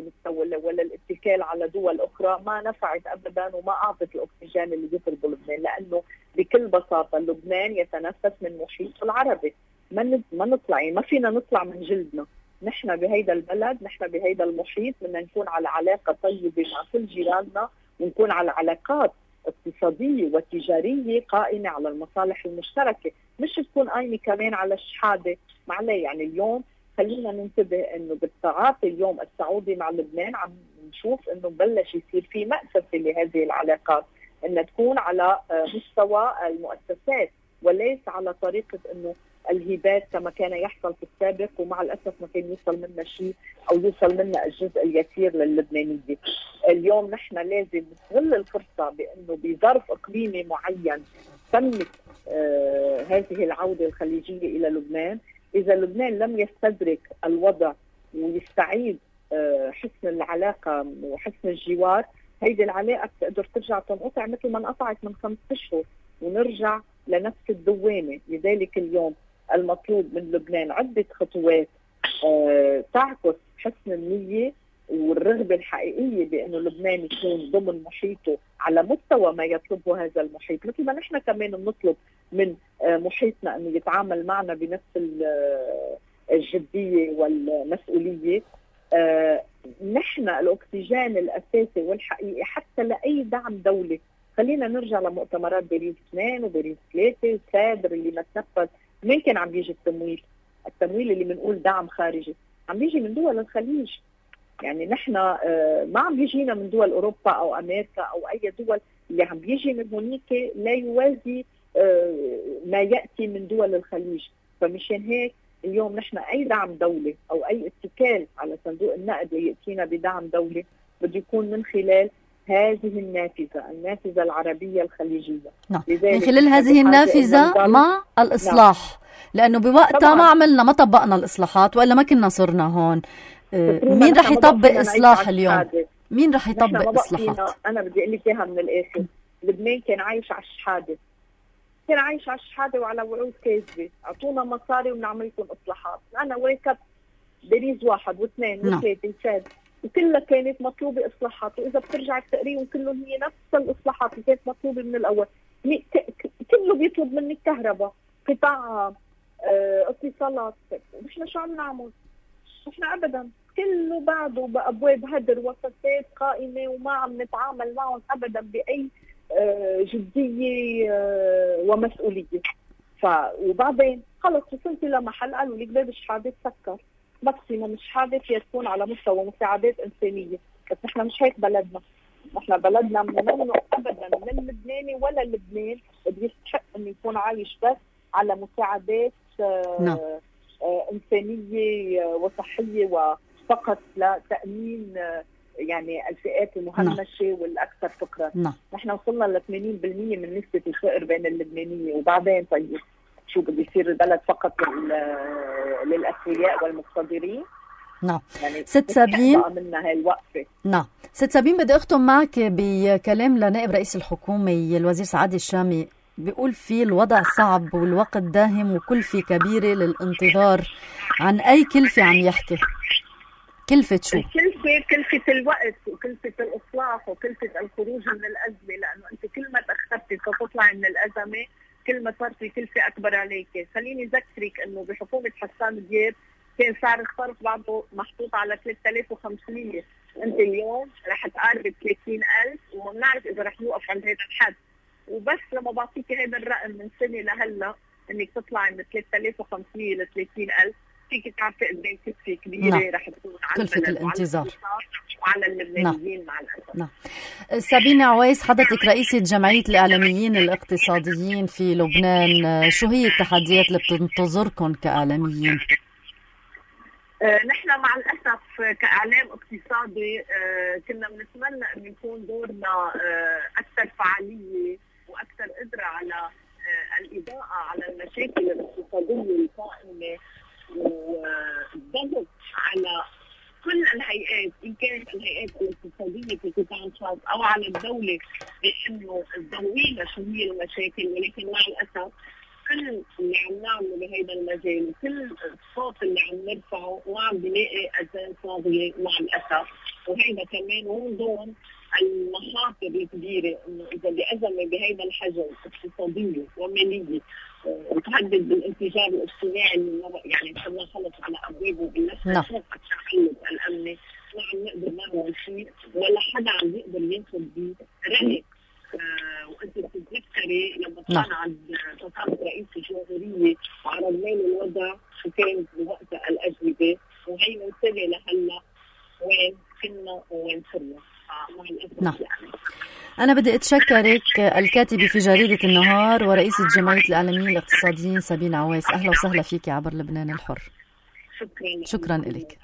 وللاتكال على دول أخرى ما نفعت أبدا وما أعطت الأكسجين اللي يطلبه لبنان، لأنه بكل بساطة لبنان يتنفس من محيطه العربي. ما ما نطلع، ما فينا نطلع من جلدنا. نحن بهيدا البلد، نحن بهيدا المحيط، بدنا نكون على علاقة طيبة مع كل جيراننا ونكون على علاقات اقتصادية وتجارية قائمة على المصالح المشتركة، مش تكون قائمة كمان على الشحادة. معليه يعني اليوم خلينا ننتبه انه بالتعاطي اليوم السعودي مع لبنان عم نشوف انه بلش يصير في مأسسة لهذه العلاقات، انها تكون على مستوى المؤسسات وليس على طريقة انه الهبات كما كان يحصل في السابق، ومع الاسف ما كان يوصل منا شيء او يوصل منا الجزء اليسير للبنانيين. اليوم نحن لازم نستغل الفرصة بانه بظرف اقليمي معين تمت آه هذه العودة الخليجية الى لبنان. إذا لبنان لم يستدرك الوضع ويستعيد حسن العلاقة وحسن الجوار، هيدي العلاقة تقدر ترجع تنقطع مثل ما انقطعت من خمسة أشهر ونرجع لنفس الدوامة. لذلك اليوم المطلوب من لبنان عدة خطوات تعكس حسن النية والرغبة الحقيقية بأنه لبنان يكون ضمن محيطه على مستوى ما يطلبه هذا المحيط، مثل ما نحن كمان بنطلب من محيطنا أنه يتعامل معنا بنفس الجدية والمسؤولية. نحن الأكسجين الأساسي والحقيقي حتى لأي دعم دولي. خلينا نرجع لمؤتمرات باريس اثنين وباريس ثلاثة وسادر اللي ما تنفذ. من كان عم بيجي التمويل؟ التمويل اللي بنقول دعم خارجي عم بيجي من دول الخليج. يعني نحن ما عم بيجينا من دول أوروبا أو أمريكا أو أي دول، اللي عم بيجي من هونيك لا يوازي ما يأتي من دول الخليج. فمشان هيك اليوم نحن أي دعم دولي أو أي اتكال على صندوق النقد ليأتينا بدعم دولي بده يكون من خلال هذه النافذة النافذة العربية الخليجية. نعم. من خلال هذه النافذة مع الإصلاح. نعم. لأنه بوقتها ما عملنا ما طبقنا الإصلاحات وإلا ما كنا صرنا هون. مين رح يطبق إصلاح اليوم؟ مين رح يطبق إصلاحات؟ أنا بدي أقول لك إياها من الآخر. لبنان كان عايش على الشحادة، كان عايش على الشحادة وعلى وعود كاذبة. أعطونا مصاري ونعمل لكم إصلاحات. أنا وركبت باريس واحد واثنين وثلاثة وسادس وكلها كانت مطلوبة إصلاحات، وإذا بترجع تقريهم كلهم هي نفس الإصلاحات اللي كانت مطلوبة من الأول. كله بيطلب منك كهرباء، قطاع اه، اتصالات. نحن شو عم نعمل؟ نحن أبدا كله بعده بأبواب هدر وفساد قائمة وما عم نتعامل معهم أبدا بأي اه جدية اه ومسؤولية. ف وبعدين خلص وصلت لمحل قالوا لك باب الشهادة تسكر، ماكسيموم الشهادة فيها تكون على مستوى مساعدات إنسانية. بس نحن مش هيك بلدنا. نحن بلدنا ممنوع أبدا من اللبناني ولا اللبنان بده يستحق إنه يكون عايش بس على مساعدات آه نعم. آه إنسانية وصحية وفقط لتأمين آه يعني الفئات المهمشة نعم. والأكثر فقرا. نعم. نحن وصلنا ل ثمانين بالمئة من نسبة الفقر بين اللبنانية، وبعدين طيب شو بده يصير البلد فقط للأثرياء والمقتدرين؟ نعم. يعني ست سابين منها هاي الوقفة. نعم. ست سابين بدي أختم معك بكلام لنائب رئيس الحكومة الوزير سعد الشامي، بيقول في الوضع صعب والوقت داهم وكلفة كبيرة للانتظار. عن أي كلفة عم يحكي؟ كلفة شو؟ كلفة كلفة الوقت وكلفة الإصلاح وكلفة الخروج من الأزمة، لأنه أنت كل ما تأخرتي تطلعي من الأزمة كل ما صار في كلفة أكبر عليك. خليني أذكرك أنه بحكومة حسان دياب كان سعر الصرف بعده محطوط على ثلاثة آلاف وخمسمئة، أنت اليوم رح تقارب ثلاثين ألف وما بنعرف إذا رح نوقف عند هذا الحد. وبس لما بعطيك هذا الرقم من سنة لهلا إنك تطلعي من ثلاثة آلاف وخمسمئة ل ثلاثين ألف، فيك تعرفي قد ايه كلفة كبيرة نعم. رح تكون على كلفة الانتظار وعلى اللبنانيين مع الأسف. نعم. سابينة عويس، حضرتك رئيسة جمعية الإعلاميين الاقتصاديين في لبنان، شو هي التحديات اللي بتنتظركم كإعلاميين؟ آه نحن مع الأسف كإعلام اقتصادي آه كنا بنتمنى أن يكون دورنا آه أكثر فعالية وأكثر قدرة على آه الإضاءة على المشاكل الاقتصادية القائمة والضغط على كل الهيئات، إن كانت الهيئات الاقتصادية في قطاع الخاص أو على الدولة، بأنه تضوي لنا شو هي المشاكل. ولكن مع الأسف كل اللي عم نعمله بهذا المجال وكل الصوت اللي عم نرفعه ما عم بلاقي أذان صاغية مع الأسف. وهذا كمان من ضمن المخاطر الكبيرة، إنه إذا بأزمة بهذا الحجم اقتصادية ومالية وتهدد بالانفجار الاجتماعي اللي يعني صرنا خلص على أبوابه بالنسبة للتحالف الأمني، ما عم نقدر نعمل شيء ولا حدا عم يقدر ياخذ برأيك. آه وانت بتتذكري لما كان عند تصرف رئيس الجمهورية وعرضنا له الوضع شو كان بوقتها الأجوبة، وهي منتبه لهلا وين كنا وين صرنا. نعم. أنا بدي أتشكرك الكاتبة في جريدة النهار ورئيسة جمعية الإعلاميين الاقتصاديين سابينة عويس. أهلا وسهلا فيك عبر لبنان الحر. شكرا. شكرا لك.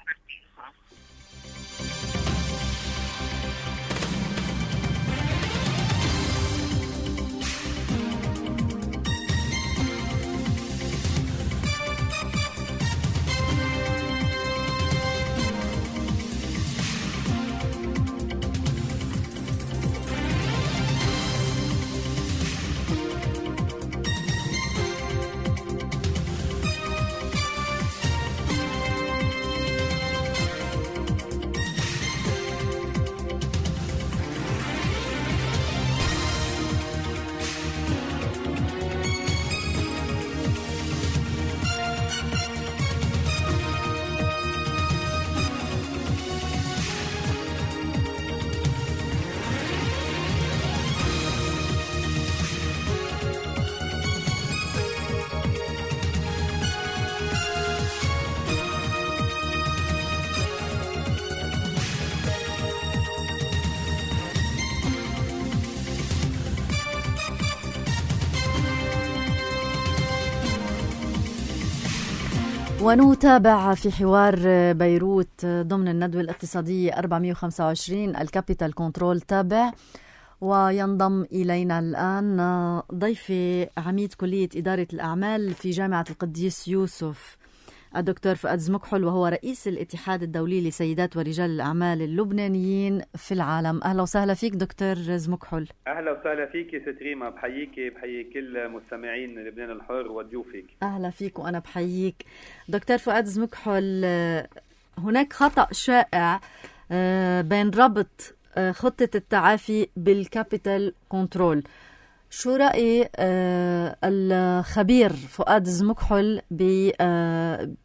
ونتابع في حوار بيروت ضمن الندوة الاقتصادية أربعمئة وخمسة وعشرين الكابيتال كنترول تابع. وينضم إلينا الآن ضيفي عميد كلية إدارة الأعمال في جامعة القديس يوسف الدكتور فؤاد زمكحل، وهو رئيس الاتحاد الدولي لسيدات ورجال الأعمال اللبنانيين في العالم. أهلا وسهلا فيك دكتور زمكحل. أهلا وسهلا فيك ست ريما، بحييك بحيي كل مستمعين لبنان الحر وضيوفك. أهلا فيك وأنا بحييك دكتور فؤاد زمكحل. هناك خطأ شائع بين ربط خطة التعافي بالكابيتال كنترول. شو رأي الخبير فؤاد زمكحل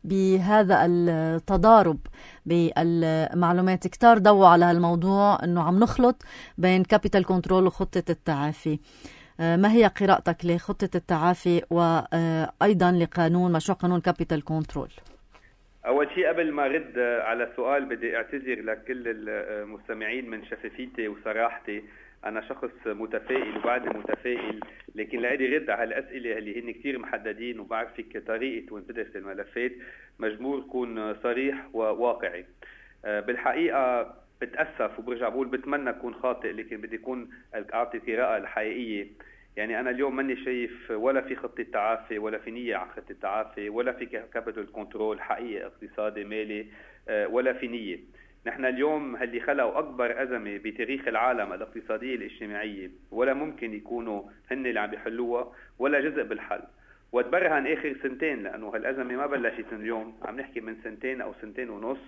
بهذا التضارب بالمعلومات؟ كتار ضووا على هالموضوع أنه عم نخلط بين كابيتال كنترول وخطة التعافي. ما هي قراءتك لخطة التعافي وأيضا لقانون مشروع قانون كابيتال كنترول؟ أول شيء قبل ما رد على السؤال بدي أعتذر لكل المستمعين من شفافيتي وصراحتي. أنا شخص متفائل وبعدني متفائل، لكن لأدي رد على الأسئلة اللي هن كتير محددين وبعرفك طريقة وين بدرس الملفات مجبور كون صريح وواقعي. بالحقيقة بتأسف وبرجع بقول بتمنى أكون خاطئ، لكن بدي أكون أعطي قراءة الحقيقية. يعني أنا اليوم ماني شايف ولا في خطة تعافي ولا في نية على خطة تعافي ولا في كابيتال كنترول حقيقي اقتصادي مالي ولا في نية. نحن اليوم اللي خلقوا أكبر أزمة بتاريخ العالم الاقتصادية الاجتماعية ولا ممكن يكونوا هن اللي عم بيحلوها ولا جزء بالحل. وتبرهن آخر سنتين، لأنه هالأزمة ما بلشت اليوم، عم نحكي من سنتين أو سنتين ونص،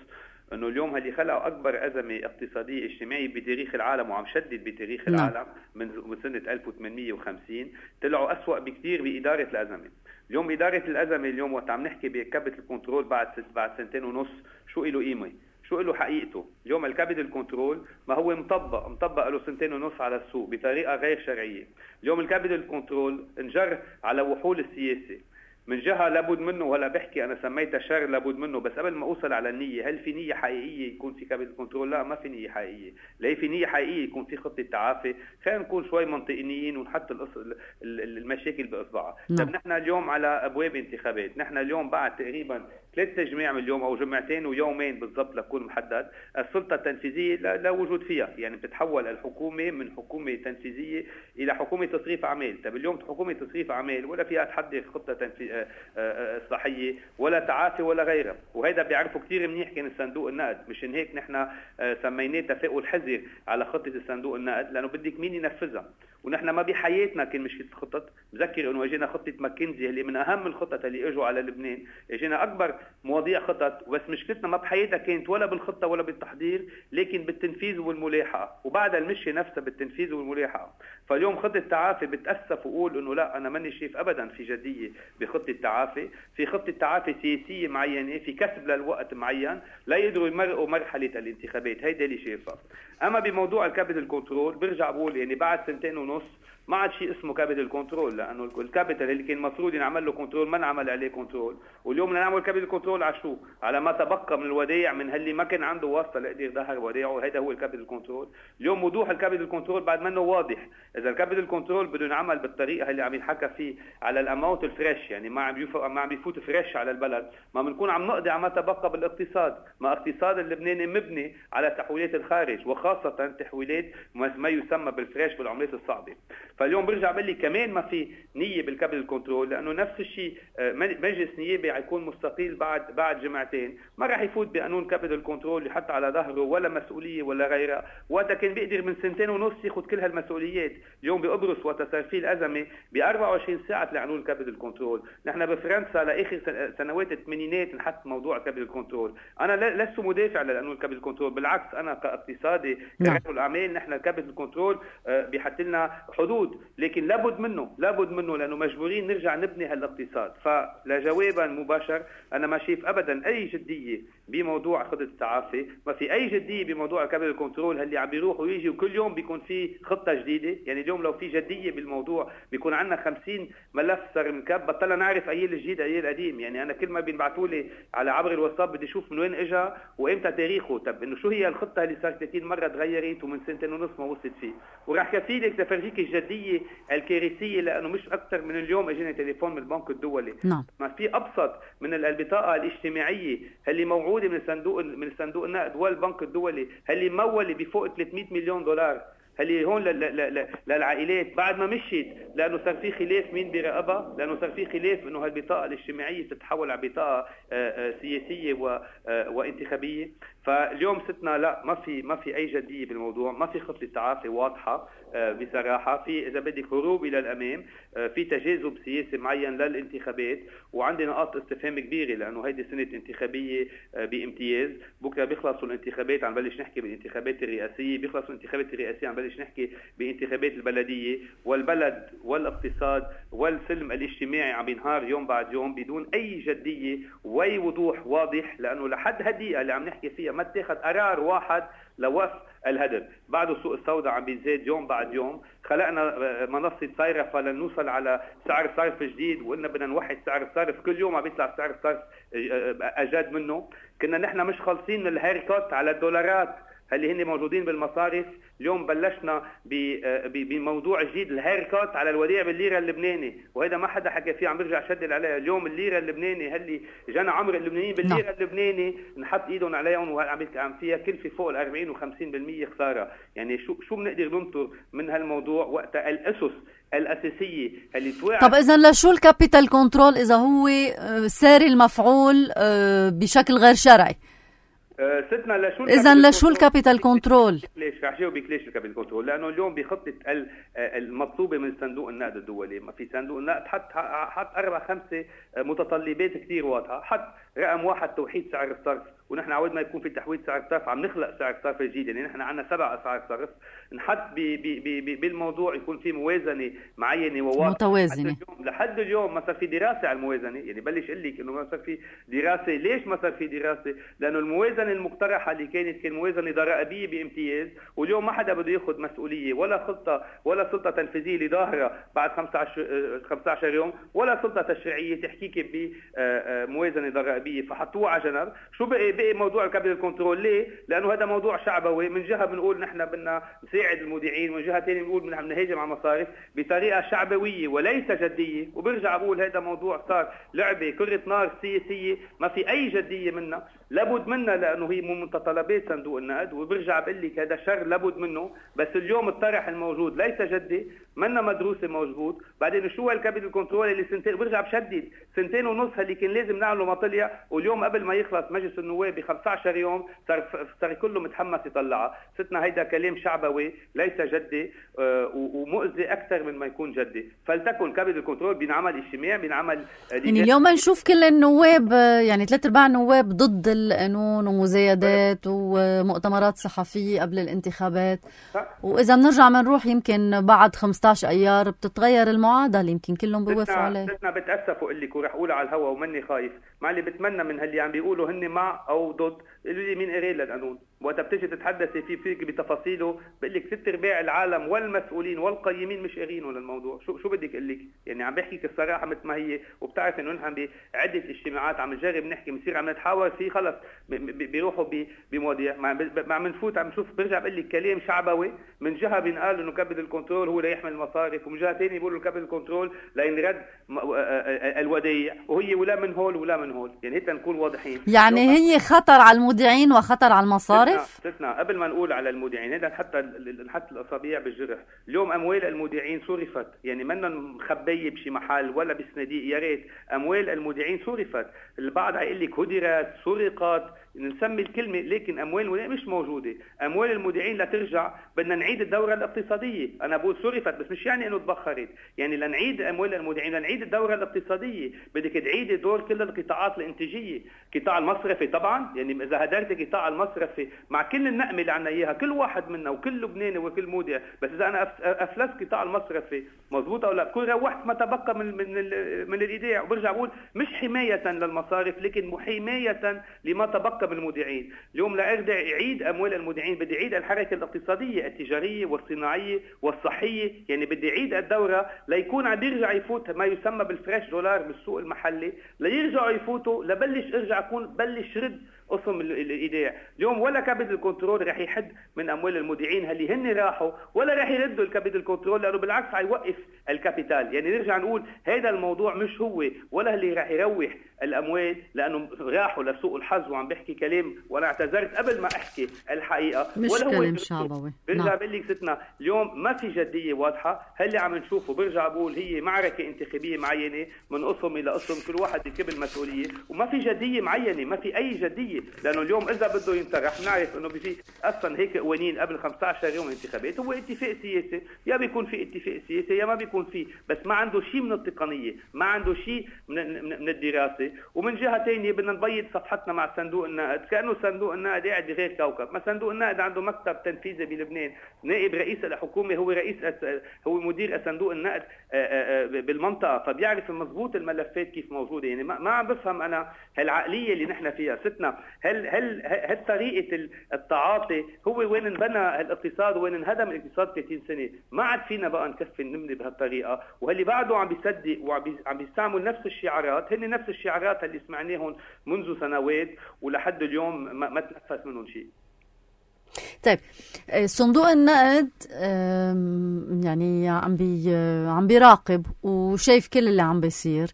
انه اليوم اللي خلقوا اكبر ازمه اقتصاديه اجتماعيه بتاريخ العالم وعم شدد بتاريخ العالم من سنه ألف وثمانمئة وخمسين، طلعوا اسوأ بكثير باداره الازمه. اليوم اداره الازمه اليوم وقت عم نحكي بكابيتال كنترول بعد بعد سنتين ونص شو له قيمه؟ شو له حقيقته؟ اليوم الكابيتال كنترول ما هو مطبق مطبق له سنتين ونص على السوق بطريقه غير شرعيه. اليوم الكابيتال كنترول انجر على وحول السياسه من جهة لابد منه، ولا بحكي أنا سميتها شر لابد منه، بس قبل ما أوصل على النية، هل في نية حقيقية يكون في كابيتال كنترول؟ لا، ما في نية حقيقية. لا في نية حقيقية يكون في خطة تعافي. خلينا نكون شوي منطقيين ونحط المشاكل بإصبعها. طب نحن اليوم على أبواب انتخابات، نحن اليوم بعد تقريبا ثلاث تجميع من اليوم أو جمعتين ويومين بالضبط لكون محدد، السلطة التنفيذية لا, لا وجود فيها. يعني بتتحول الحكومة من حكومة تنفيذية إلى حكومة تصريف أعمال. طب اليوم حكومة تصريف أعمال ولا فيها تحضر خطة تنفيذية صحية ولا تعافي ولا غيرها. وهذا بيعرفوا كتير منيح كان الصندوق النقد. مشان هيك نحن سميناه تفاؤل حذر على خطة الصندوق النقد، لأنه بدك مين ينفذها. ونحن ما بحياتنا كان مشكلة خطط. بذكر انه اجينا خطة ماكنزي اللي من اهم الخطط اللي اجوا على لبنان، اجينا اكبر مواضيع خطط، وبس مشكلتنا ما بحياتها كانت ولا بالخطة ولا بالتحضير، لكن بالتنفيذ والملاحقة، وبعد المشي نفسها بالتنفيذ والملاحقة. فاليوم خطة تعافي بتأسف وقول انه لا، انا ماني شايف ابدا في جدية بخطة تعافي. في خطة تعافي سياسية معينة، في كسب للوقت معين لا يقدروا يمرقوا مرحلة الانتخابات. هيدا اللي شايفها. اما بموضوع الكابيتال كنترول برجع بقول يعني بعد سنتين ونص ما عاد شيء اسمه كابيتال كنترول، لانه الكابيتال اللي كان المفروض ينعمل له كنترول ما انعمل عليه كنترول. واليوم بدنا نعمل كابيتال كنترول على شو؟ على ما تبقى من الودائع من اللي ما كان عنده واسطه ليقدر يظهر ودائعه. هذا هو الكابيتال كنترول. اليوم وضوح الكابيتال كنترول بعد منه واضح. اذا الكابيتال كنترول بده ينعمل بالطريقه اللي عم ينحكى فيه على الاماونت الفريش، يعني ما عم يفوت ما عم يفوت فريش على البلد، ما بنكون عم نقضي على ما تبقى بالاقتصاد. ما اقتصاد اللبناني مبني على تحويلات الخارج، وخاصه تحويلات ما يسمى بالفريش بالعملات الصعبه. فاليوم برجع بقول كمان ما في نيه بالكابيتال كنترول، لانه نفس الشيء مجلس نيابي حيكون مستقيل بعد بعد جمعتين، ما راح يفوت بقانون كابيتال كنترول يحط على ظهره ولا مسؤوليه ولا غيرها. وقتها كان بيقدر من سنتين ونص ياخذ كل هالمسؤوليات. اليوم بقبرص وقت صار فيه الازمه ب أربعة وعشرين ساعه لقانون الكابيتال كنترول. نحن بفرنسا لاخر سنوات الثمانينات نحط موضوع الكابيتال كنترول. انا لست مدافع لقانون الكابيتال كنترول، بالعكس انا كاقتصادي كرجل اعمال نحن الكابيتال كنترول بيحط لنا حدود، لكن لابد منه لابد منه لانه مجبورين نرجع نبني هالاقتصاد. فلجوابا مباشر انا ما شايف ابدا اي جديه بموضوع خطه التعافي، ما في اي جديه بموضوع الكابيتال كنترول اللي عم بيروح ويجي وكل يوم بيكون في خطه جديده. يعني اليوم لو في جديه بالموضوع بيكون عندنا خمسين ملف صار مكب، بطلنا نعرف اي الجديد اي القديم. يعني انا كل ما بينبعثوا لي على عبر الواتساب بدي اشوف من وين اجى وامتى تاريخه. طب انه شو هي الخطه اللي صار ثلاثين مره تغيرت ومن سنتين ونص ما وصلت فيه؟ وراح كفيلك تفرجيك الجديه الجدية الكارثية، لأنه مش أكثر من اليوم اجيني تليفون من البنك الدولي. نعم. ما في أبسط من البطاقة الاجتماعية اللي موعودة من الصندوق من الصندوق النقد والبنك الدولي، اللي مولة بفوق ثلاثمئة مليون دولار، اللي هون للعائلات بعد ما مشيت، لانه صار في خلاف مين بيراقبها، لانه صار في خلاف انه هالبطاقه الاجتماعيه تتحول على بطاقه سياسيه وانتخابيه. فاليوم ستنا لا، ما في ما في اي جديه بالموضوع، ما في خطه تعافي واضحه بصراحه، في اذا بدك هروب الى الامام، في تجاذب سياسي معين للانتخابات، وعندنا نقاط استفهام كبيره لانه هيدي سنه انتخابيه بامتياز. بكره بيخلصوا الانتخابات عم بلش نحكي بالانتخابات الرئاسيه، بيخلصوا الانتخابات الرئاسيه عم بلش نحكي بانتخابات البلديه، والبلد والاقتصاد والسلم الاجتماعي عم ينهار يوم بعد يوم بدون اي جديه واي وضوح واضح، لانه لحد هالدقيقه اللي عم نحكي فيها ما اتخذ قرار واحد لوقف الهدر. بعده السوق السوداء عم بيزيد يوم بعد يوم، خلقنا منصه صيرفه لنوصل على سعر صرف جديد، وقلنا بدنا نوحد سعر الصرف، كل يوم عم بيطلع سعر الصرف اجاد منه. كنا نحن مش خالصين من الهيركوت على الدولارات اللي هن موجودين بالمصارف، اليوم بلشنا بموضوع جديد، الهيركوت على الوديعة بالليرة اللبناني، وهذا ما حدا حكى فيه، عم برجع شدد عليها. اليوم الليرة اللبناني اللي جانا عمر اللبنانيين بالليرة اللبناني نحط ايدهم عليهم، وعم فيها كلفة فوق ال أربعين وخمسين بالمئة خسارة. يعني شو شو بنقدر ننطر من هالموضوع وقت الأسس الأساسية اللي توقع؟ طب إذا لشو الكابيتال كنترول إذا هو ساري المفعول بشكل غير شرعي؟ ستنا لشو اذا لشو الكابيتال كنترول؟ ليش رح جاوبك ليش الكابيتال كنترول؟ لانه اليوم بخطه المطلوبه من صندوق النقد الدولي، ما في صندوق النقد حط حط اربع خمسه متطلبات كثير واضحه. حط رقم واحد توحيد سعر الصرف، ونحن عود ما يكون في تحويد سعر الصرف عم نخلق سعر صرف جديد، يعني نحن عندنا سبع اسعار صرف. نحط بالموضوع يكون في موازنه معينه وواضحه متوازنه. لحد اليوم ما صار في دراسه على الموازنه، يعني بلش اقول لك انه ما صار في دراسه. ليش ما صار في دراسه؟ لانه الموازنه المقترحه اللي كانت كان موازنه ضرائبيه بامتياز، واليوم ما حدا بده ياخذ مسؤوليه ولا خطه ولا سلطه تنفيذيه اللي ظاهره بعد خمسة عشر يوم، ولا سلطه تشريعيه تحكيك بموازنه ضرائبيه، فحطوها على جنب. شو بقي بقي موضوع الكابيتال كنترول؟ ليه؟ لانه هذا موضوع شعبوي. من جهه بنقول نحن بدنا نساعد المودعين، ومن جهه ثانيه بنقول بدنا نهاجم على المصارف بطريقه شعبويه وليس جديه. وبرجع بقول هذا موضوع صار لعبه كره نار سياسيه ما في اي جديه منها، لابد منها لانه هي من متطلبات صندوق النقد. وبرجع بقول لك هذا شر لابد منه، بس اليوم الطرح الموجود ليس جدي، منا مدروسه موجود. بعدين شو هالكابيتال كنترول اللي سنتين، برجع بشدد سنتين ونص اللي كان لازم نعمله ما طلع، واليوم قبل ما يخلص مجلس النواب ب خمسة عشر يوم صار صار كله متحمس يطلعها. ستنا هيدا كلام شعبوي ليس جدي، آه ومؤذي اكثر من ما يكون جدي. فلتكن كابيتال كنترول بينعمل اجتماع، بينعمل يعني اليوم نشوف كل النواب، يعني ثلاث ارباع النواب ضد القانون ومزايدات ومؤتمرات صحفيه قبل الانتخابات. واذا بنرجع بنروح يمكن بعد خمسة عشر ايار بتتغير المعادله، يمكن كلهم بيوافقوا عليه. ستنا بتاسف واقول لك ورح اقول على الهوا ومني خايف، مع اللي بتمنى من هاللي عم بيقولوا هن مع او ضد، قولوا لي مين قري للقانون؟ وقت بتيجي تتحدثي فيه فيك بتفاصيله بقول لك ست ارباع العالم والمسؤولين والقيمين مش قارينه للموضوع. شو شو بدك اقول لك؟ يعني عم بحكيك الصراحه مثل ما هي، وبتعرف انه نحن بعده اجتماعات عم نجرب نحكي، بنصير عم نتحاور فيه، خلص بيروحوا بمواضيع ما عم نفوت. عم نشوف برجع بقول لك كلام شعبوي، من جهه بينقال انه كابيتال كنترول هو ليحمي المصارف، ومن جهه ثانيه بيقولوا كابيتال كنترول لينرد الودائع، وهي ولا من هول ولا من هول. يعني هيك نكون واضحين، يعني هي خطر على المودعين وخطر على المصارف. ستنا قبل ما نقول على المودعين هذا حتى نحط الاصابع بالجرح. اليوم اموال المودعين صرفت، يعني منا مخبيه بشي محل ولا بصناديق، يا ريت اموال المودعين صرفت. البعض هيقول لك هدرت سرقت، نسمي الكلمه، لكن اموال المودعين مش موجوده. اموال المودعين لترجع بدنا نعيد الدوره الاقتصاديه. انا بقول صرفت بس مش يعني انه تبخرت، يعني لنعيد اموال المودعين لنعيد الدوره الاقتصاديه بدك تعيدي دور كل القطاعات الانتاجيه. قطاع المصرفي طبعا، يعني اذا هدرت قطاع المصرفي مع كل النقمه اللي عنا اياها كل واحد منا وكل لبناني وكل مودع، بس اذا انا افلست قطاع المصرفي مضبوط او لا بكون روحت ما تبقى من من من الايداع. وبرجع بقول مش حمايه للمصارف لكن حمايه لما تبقى من المودعين. اليوم لارجع يعيد اموال المودعين بدي يعيد الحركه الاقتصاديه التجاريه والصناعيه والصحيه، يعني بدي يعيد الدوره ليكون عم يرجع يفوت ما يسمى بالفريش دولار بالسوق المحلي، ليرجعوا يفوتوا لبلش ارجع اكون بلش رد قسم الايداع. اليوم ولا كابيتال كنترول رح يحد من اموال المودعين اللي هن راحوا، ولا رح يردوا الكابيتال كنترول، لانه بالعكس حيوقف الكابيتال. يعني نرجع نقول هذا الموضوع مش هو ولا اللي رح يروح الاموال، لانه راحوا لسوق الحظ. وعم بحكي كلام وانا اعتذرت قبل ما احكي الحقيقه، مش ولا هو كلام شعبوي. برجع بقول لك ستنا اليوم ما في جديه واضحه. هاللي عم نشوفه برجع بقول هي معركه انتخابيه معينه من قسم الى قسم، كل واحد يكب المسؤوليه، وما في جديه معينه، ما في اي جديه. لانه اليوم اذا بده ينطرح بنعرف انه في اصلا هيك قوانين قبل خمسة عشر يوم انتخابات، هو اتفاق سياسي، يا بيكون في اتفاق سياسي يا ما بيكون فيه، بس ما عنده شيء من التقنيه، ما عنده شيء من, من الدراسه. ومن جهه ثانيه بدنا نبيض صفحتنا مع صندوق النقد، كانه صندوق النقد قاعد بغير كوكب. ما صندوق النقد عنده مكتب تنفيذي بلبنان، نائب رئيس الحكومه هو رئيس هو مدير صندوق النقد بالمنطقه، فبيعرف مضبوط الملفات كيف موجوده. يعني ما عم بفهم انا هالعقليه اللي نحن فيها ستنا. هل هل هل طريقه التعاطي هو وين انبنى الاقتصاد وين انهدم الاقتصاد ثلاثين سنه؟ ما عاد فينا بقى نكفي نملي بهالطريقه. وهاللي بعده عم بيصدق وعم بيستعمل نفس الشعارات، هن نفس الشعارات اللي سمعناهم منذ سنوات ولحد اليوم ما, ما تنفس منهم شيء. طيب صندوق النقد يعني عم بي عم بيراقب وشايف كل اللي عم بيصير،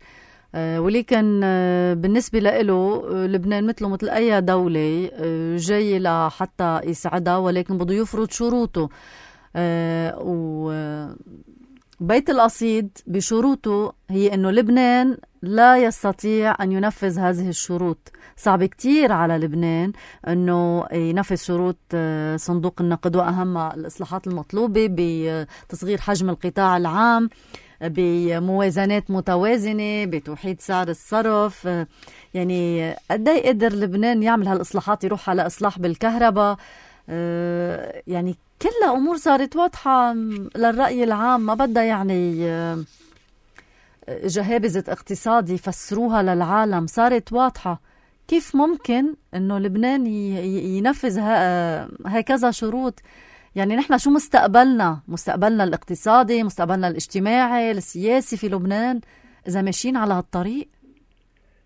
ولكن بالنسبة له لبنان مثله مثل أي دولة جاي لحتى يساعدها، ولكن بده يفرض شروطه. وبيت القصيد بشروطه هي أنه لبنان لا يستطيع أن ينفذ هذه الشروط. صعب كتير على لبنان أنه ينفذ شروط صندوق النقد، وأهمها الإصلاحات المطلوبة بتصغير حجم القطاع العام، بموازنات متوازنة، بتوحيد سعر الصرف. يعني قد ايه قدر لبنان يعمل هالإصلاحات، يروح على إصلاح بالكهرباء؟ يعني كلها أمور صارت واضحة للرأي العام، ما بدها يعني جهابزة اقتصادي يفسروها للعالم، صارت واضحة. كيف ممكن أنه لبنان ينفذ هكذا شروط؟ يعني نحن شو مستقبلنا؟ مستقبلنا الاقتصادي، مستقبلنا الاجتماعي، السياسي في لبنان إذا ماشيين على هالطريق؟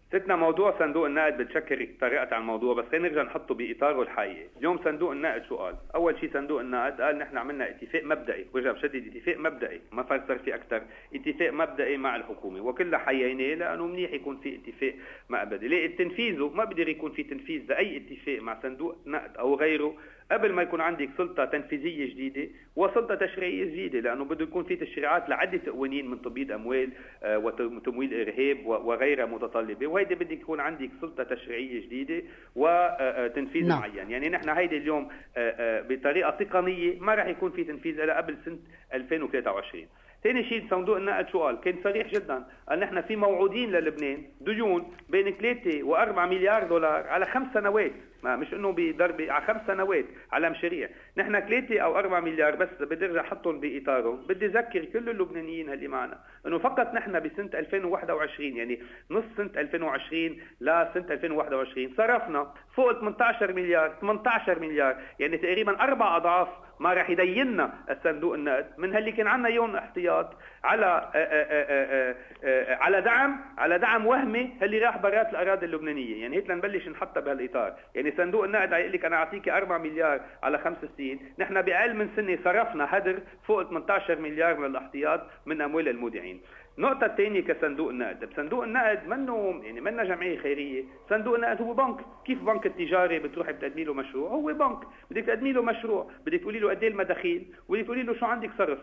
ستنا موضوع صندوق النقد بتشكر طريقة عن الموضوع، بس خلينا نرجع نحطه بإطاره الحقيقي. اليوم صندوق النقد شو قال؟ أول شيء صندوق النقد قال نحن عملنا اتفاق مبدئي، ورجع بشدد اتفاق مبدئي، ما فسر فيه أكثر، اتفاق مبدئي مع الحكومة، وكلها حييناه لأنه منيح يكون في اتفاق مبدئي. ليه تنفيذه ما بقدر يكون في تنفيذ لأي اتفاق مع صندوق نقد أو غيره قبل ما يكون عندك سلطة تنفيذية جديدة وسلطة تشريعية جديدة، لأنه بده يكون في تشريعات لعدة قوانين من تبييض أموال وتمويل إرهاب وغيرها متطلبة، وهيدي بدك يكون عندك سلطة تشريعية جديدة وتنفيذ نعم. معين. يعني نحن هيدي اليوم بطريقة تقنية ما راح يكون في تنفيذ إلا قبل سنة ألفين وثلاثة وعشرين. ثاني شيء صندوق النقد شو قال؟ كان صريح جدا، قال نحن في موعودين للبنان ديون بين ثلاثة وأربعة مليار دولار على خمس سنوات، ما مش انه بضربه، على خمس سنوات على مشاريع. نحن ثلاثة او أربعة مليار بس بدي ارجع احطهم باطارهم. بدي اذكر كل اللبنانيين اللي معنا انه فقط نحن بسنه ألفين وواحد وعشرين، يعني نص سنه ألفين وعشرين لسنه ألفين وواحد وعشرين، صرفنا فوق ثمانية عشر مليار ثمانية عشر مليار، يعني تقريبا اربع اضعاف ما راح يديننا الصندوق النقد من اللي كان عندنا يوم احتياط على آآ آآ آآ على دعم على دعم وهمي اللي راح برات الاراضي اللبنانيه. يعني هيك لنبلش نحطها بهالاطار. يعني صندوق النقد يقول لك انا اعطيك أربعة مليار على خمس سنين، نحن باقل من سنه صرفنا هدر فوق ثمانية عشر مليار من الاحتياط من اموال المودعين. النقطة الثانية كصندوق النقد، صندوق النقد منه يعني منا جمعية خيرية، صندوق النقد هو بنك. كيف بنك التجاري بتروح بتقدمي له مشروع؟ هو بنك، بدك تقدمي له مشروع، بدك تقولي له قد ايه المداخيل، وبدك تقولي له شو عندك صرف.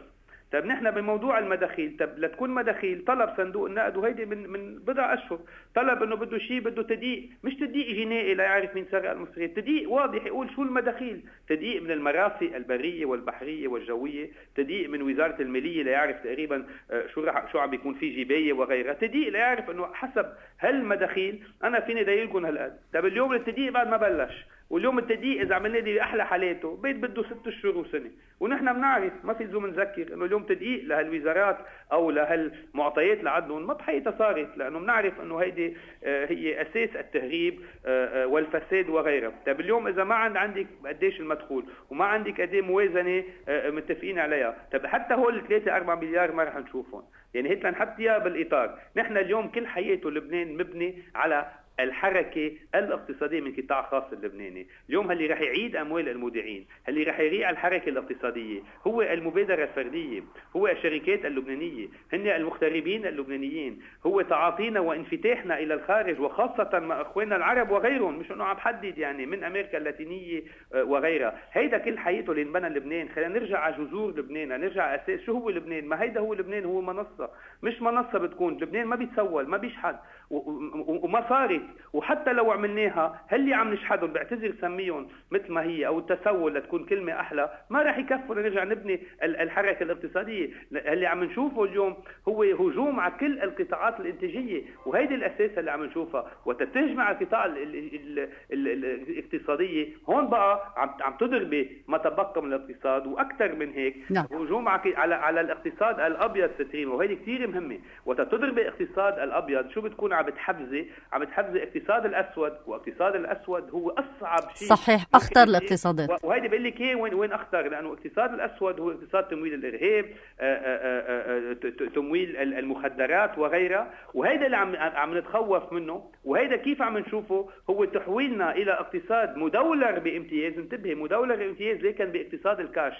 طب نحن بموضوع المداخيل، طب لتكون مداخيل طلب صندوق النقد، وهيدي من من بضع اشهر طلب انه بده شيء، بده تدقيق، مش تدقيق جنائي لا يعرف مين سرق المصريات، تدقيق واضح يقول شو المداخيل، تدقيق من المرافق البريه والبحريه والجويه، تدقيق من وزاره الماليه ليعرف تقريبا شو راح شو عم بيكون في جبايه وغيرها، تدقيق ليعرف انه حسب هالمداخيل انا فيني دايلكم هالقد. طب اليوم التدقيق بعد ما بلش، واليوم التدقيق اذا عملنا دي باحلى حالاته بيت بده ست اشهر وسنه، ونحن بنعرف ما في لزوم نذكر انه اليوم تدقيق لهالوزارات او لهالمعطيات اللي عندهم ما بحقيقتها صارت، لانه بنعرف انه هيدي هي اساس التهريب والفساد وغيرها. طيب اليوم اذا ما عند عندك قديش المدخول وما عندك قد ايه موازنه متفقين عليها، طب حتى هول ثلاثة أربعة مليار ما رح نشوفهم. يعني هيك لنحط اياها بالاطار. نحن اليوم كل حياته لبنان مبني على الحركة الاقتصادية من قطاع خاص اللبناني. اليوم اللي رح يعيد أموال المودعين، اللي رح يريع الحركة الاقتصادية هو المبادرة الفردية، هو الشركات اللبنانية، هن المغتربين اللبنانيين، هو تعاطينا وانفتاحنا إلى الخارج وخاصة مع أخواننا العرب وغيرهم، مش أنه عم حدد يعني من أمريكا اللاتينية وغيرها. هيدا كل حياته اللي انبنى لبنان. خلينا نرجع على جذور لبنان، نرجع على أساس شو هو لبنان. ما هيدا هو لبنان، هو منصة، مش منصة بتكون. لبنان ما بيتسول، ما بيشحد وما صارت. وحتى لو عملناها هاللي عم نشحدهم بعتذر سميهم مثل ما هي او التسول لتكون كلمة احلى، ما راح يكفوا لنرجع نبني الحركة الاقتصادية. اللي عم نشوفه اليوم هو هجوم على كل القطاعات الانتاجية، وهيدي الاساس اللي عم نشوفها. وتتجمع القطاع الاقتصادية هون بقى عم عم تضربي ما تبقى من الاقتصاد واكثر من هيك. نعم. هجوم على على الاقتصاد الابيض ستريم، وهيدي كثير مهمة. وتضربي الاقتصاد الابيض شو بتكون عم بتحفزي؟ عم بتحفزي الاقتصاد الاسود، والاقتصاد الاسود هو اصعب شيء. صحيح، اخطر الاقتصادات. وهيدي بقول لك ايه وين وين اخطر، لانه الاقتصاد الاسود هو اقتصاد تمويل الارهاب، تمويل المخدرات وغيرها. وهيدا اللي عم عم نتخوف منه. وهيدا كيف عم نشوفه هو تحويلنا الى اقتصاد مدولر بامتياز. انتبهي، مدولر بامتياز لكن باقتصاد الكاش.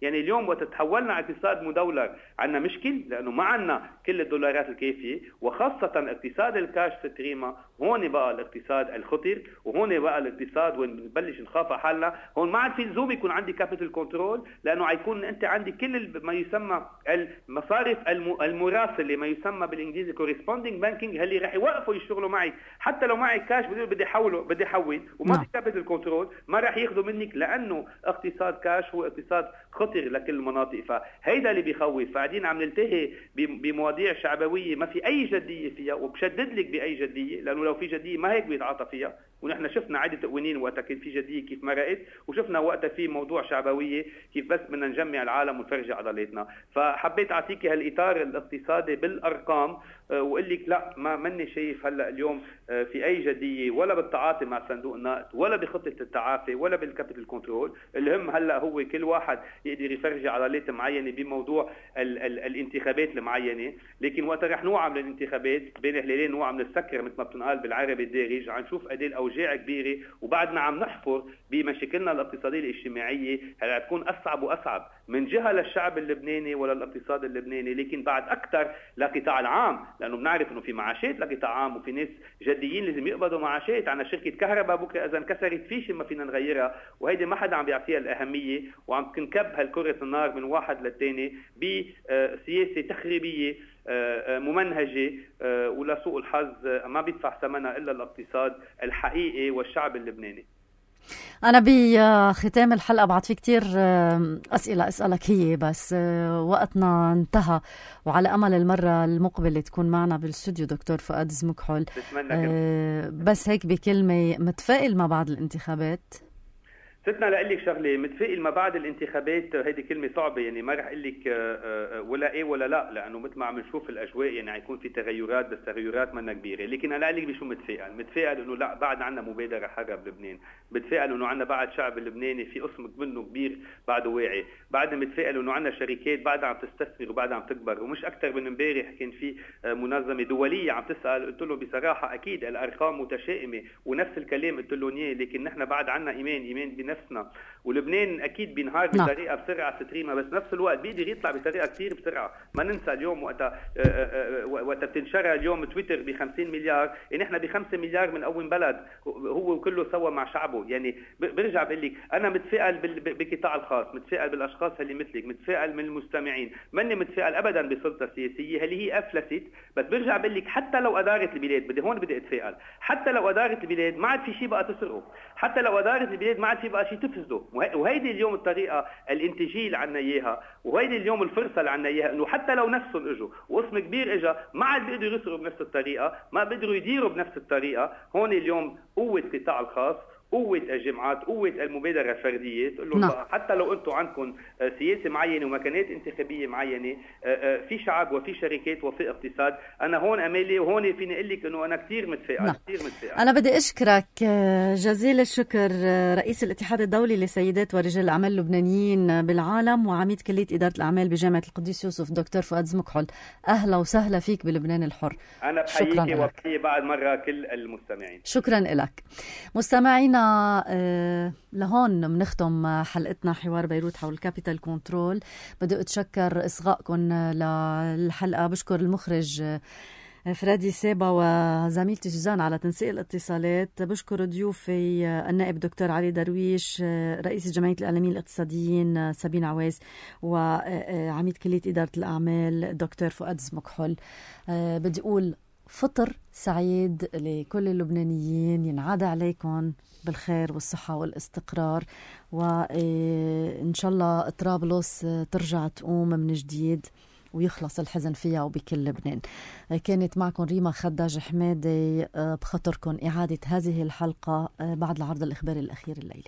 يعني اليوم وقت تحولنا على اقتصاد مدولر عنا مشكل، لأنه ما عنا كل الدولارات الكافية، وخاصة اقتصاد الكاش ستريما. هون بقى الاقتصاد الخطر، وهون بقى الاقتصاد وين بنبلش نخاف على حالنا. هون ما عاد في لزوم يكون عندي كابيتال كنترول، لأنه حيكون أنت عندي كل ما يسمى المصارف المراسلة، ما يسمى بالإنجليزي corresponding banking، اللي رح يوقفوا يشتغلوا معي. حتى لو معي كاش بدي بدي أحوله بدي أحول وما في كابيتال كنترول، ما رح ياخذوا منك، لأنه اقتصاد كاش هو اقتصاد خطر لكل المناطق. فهيدا اللي بيخوف. فقاعدين عم نلتهي بمواضيع شعبويه ما في اي جديه فيها، وبشدد لك باي جديه، لانه لو في جديه ما هيك بيتعاطى فيها. ونحن شفنا عده تقوينين وقتها كان في جديه كيف مرقت، وشفنا وقتها في موضوع شعبويه كيف بس بدنا نجمع العالم ونفرجي عضلاتنا. فحبيت اعطيك هالاطار الاقتصادي بالارقام، وقل لك لا ما مني شايف هلا اليوم في اي جديه ولا بالتعاطي مع صندوق النقد ولا بخطه التعافي ولا بالكابيتال كنترول. الهم هلا هو كل واحد يقدر يفرجي عضلات معينه بموضوع ال ال الانتخابات المعينه. لكن وقت رح نوعى من الانتخابات بين هلالين نوعى من السكر مثل ما بتنقال بالعربي الدارج، عم نشوف قد ايه الاوجاع كبيره، وبعدنا عم نحفر بمشاكلنا الاقتصاديه الاجتماعيه. هلا تكون اصعب واصعب من جهه للشعب اللبناني ولا الاقتصاد اللبناني، لكن بعد اكثر لقطاع العام، لانه بنعرف انه في معاشات لقطاع عام وفي ناس جديين لازم يقبضوا معاشات. عنا شركه كهرباء بكره اذا انكسرت فيش ما فينا نغيرها، وهيدي ما حدا عم بيعطيها الاهميه، وعم تنكب هالكره النار من واحد للثاني بسياسه تخريبيه ممنهجه، ولسوء الحظ ما بيدفع ثمنها الا الاقتصاد الحقيقي والشعب اللبناني. أنا بختام الحلقة بعد في كتير أسئلة أسألك هي، بس وقتنا انتهى، وعلى أمل المرة المقبلة تكون معنا بالاستوديو دكتور فؤاد زمكحل. بس هيك بكلمة، متفائل ما بعد الانتخابات؟ ستنا لأقول لك شغله، متفائل ما بعد الانتخابات هيدي كلمه صعبه، يعني ما رح اقول لك ولا ايه ولا لا، لانه مثل ما عم نشوف الاجواء يعني حيكون في تغيرات، بس تغيرات منا كبيره. لكن انا اقول لك بشو متفائل، متفائل انه لا بعد عنا مبادره حره بلبنان، متفائل انه عنا بعد شعب اللبناني في قسم منه كبير بعده واعي، بعدنا متفائل انه عنا شركات بعدها عم تستثمر وبعدها عم تكبر. ومش اكثر من امبارح كان في منظمه دوليه عم تسال، قلت له بصراحه اكيد الارقام متشائمه ونفس الكلام قلت لهم اياه، لكن نحن بعد عنا ايمان ايمان بنفسنا. ولبنان اكيد بينهار بطريقه بسرعه ستريمه، بس نفس الوقت بيقدر يطلع بطريقه كثير بسرعه. ما ننسى اليوم وقتها وقت بتنشرها اليوم تويتر ب خمسين مليار، يعني احنا ب خمسة مليار من اول بلد هو كله سوا مع شعبه. يعني برجع بقول لك انا متفائل بالقطاع الخاص، متفائل بالاشخاص اللي مثلك، متفائل من المستمعين، ماني متفائل ابدا بسلطه السياسيه اللي هي افلست. بس برجع بقول لك حتى لو ادارت البلاد، بدي هون بدي اتفائل، حتى لو ادارت البلاد ما عاد في شيء بقى تسرقه، حتى لو ادارت البلاد ما عاد في بقى شيء تفسده. وهيدي اليوم الطريقه الانتاجيه اللي عنا اياها، وهيدي اليوم الفرصه اللي عنا اياها، انه حتى لو نفسهم اجوا وقسم كبير اجى ما عاد بيقدروا يسرقوا بنفس الطريقه، ما بيقدروا يديروا بنفس الطريقه. هون اليوم قوه القطاع الخاص قوة الجماعات، قوة المبادرة الفردية، تقول لهم نعم. حتى لو أنتم عندكم سياسة معينة ومكانات انتخابية معينة، في شعب وفي شركات وفي اقتصاد. أنا هون أمالي وهون فيني أقول لك إنه أنا كتير متفائل. نعم. كتير متفائل. أنا بدي أشكرك جزيل الشكر رئيس الاتحاد الدولي لسيدات ورجال الأعمال اللبنانيين بالعالم وعميد كلية إدارة الأعمال بجامعة القديس يوسف دكتور فؤاد زمكحل. أهلا وسهلا فيك بلبنان الحر. أنا بحييك وبحيي بعد مرة كل المستمعين. شكرا لك. مستمعينا آه لهون بنختم حلقتنا حوار بيروت حول كابيتال كنترول. بدي أتشكر إصغائكم للحلقة. بشكر المخرج فرادي سيبا وزميلتي سوزان على تنسيق الاتصالات. بشكر ضيوفي النائب دكتور علي درويش، رئيس جمعية الإعلاميين الاقتصاديين سابين عويس، وعميد كلية إدارة الأعمال دكتور فؤاد زمكحل. بدي أقول فطر سعيد لكل اللبنانيين، ينعاد عليكم بالخير والصحة والاستقرار، وإن شاء الله طرابلس ترجع تقوم من جديد ويخلص الحزن فيها وبكل لبنان. كانت معكم ريما خداج حمادي. بخطركم إعادة هذه الحلقة بعد العرض الإخباري الأخير الليلة.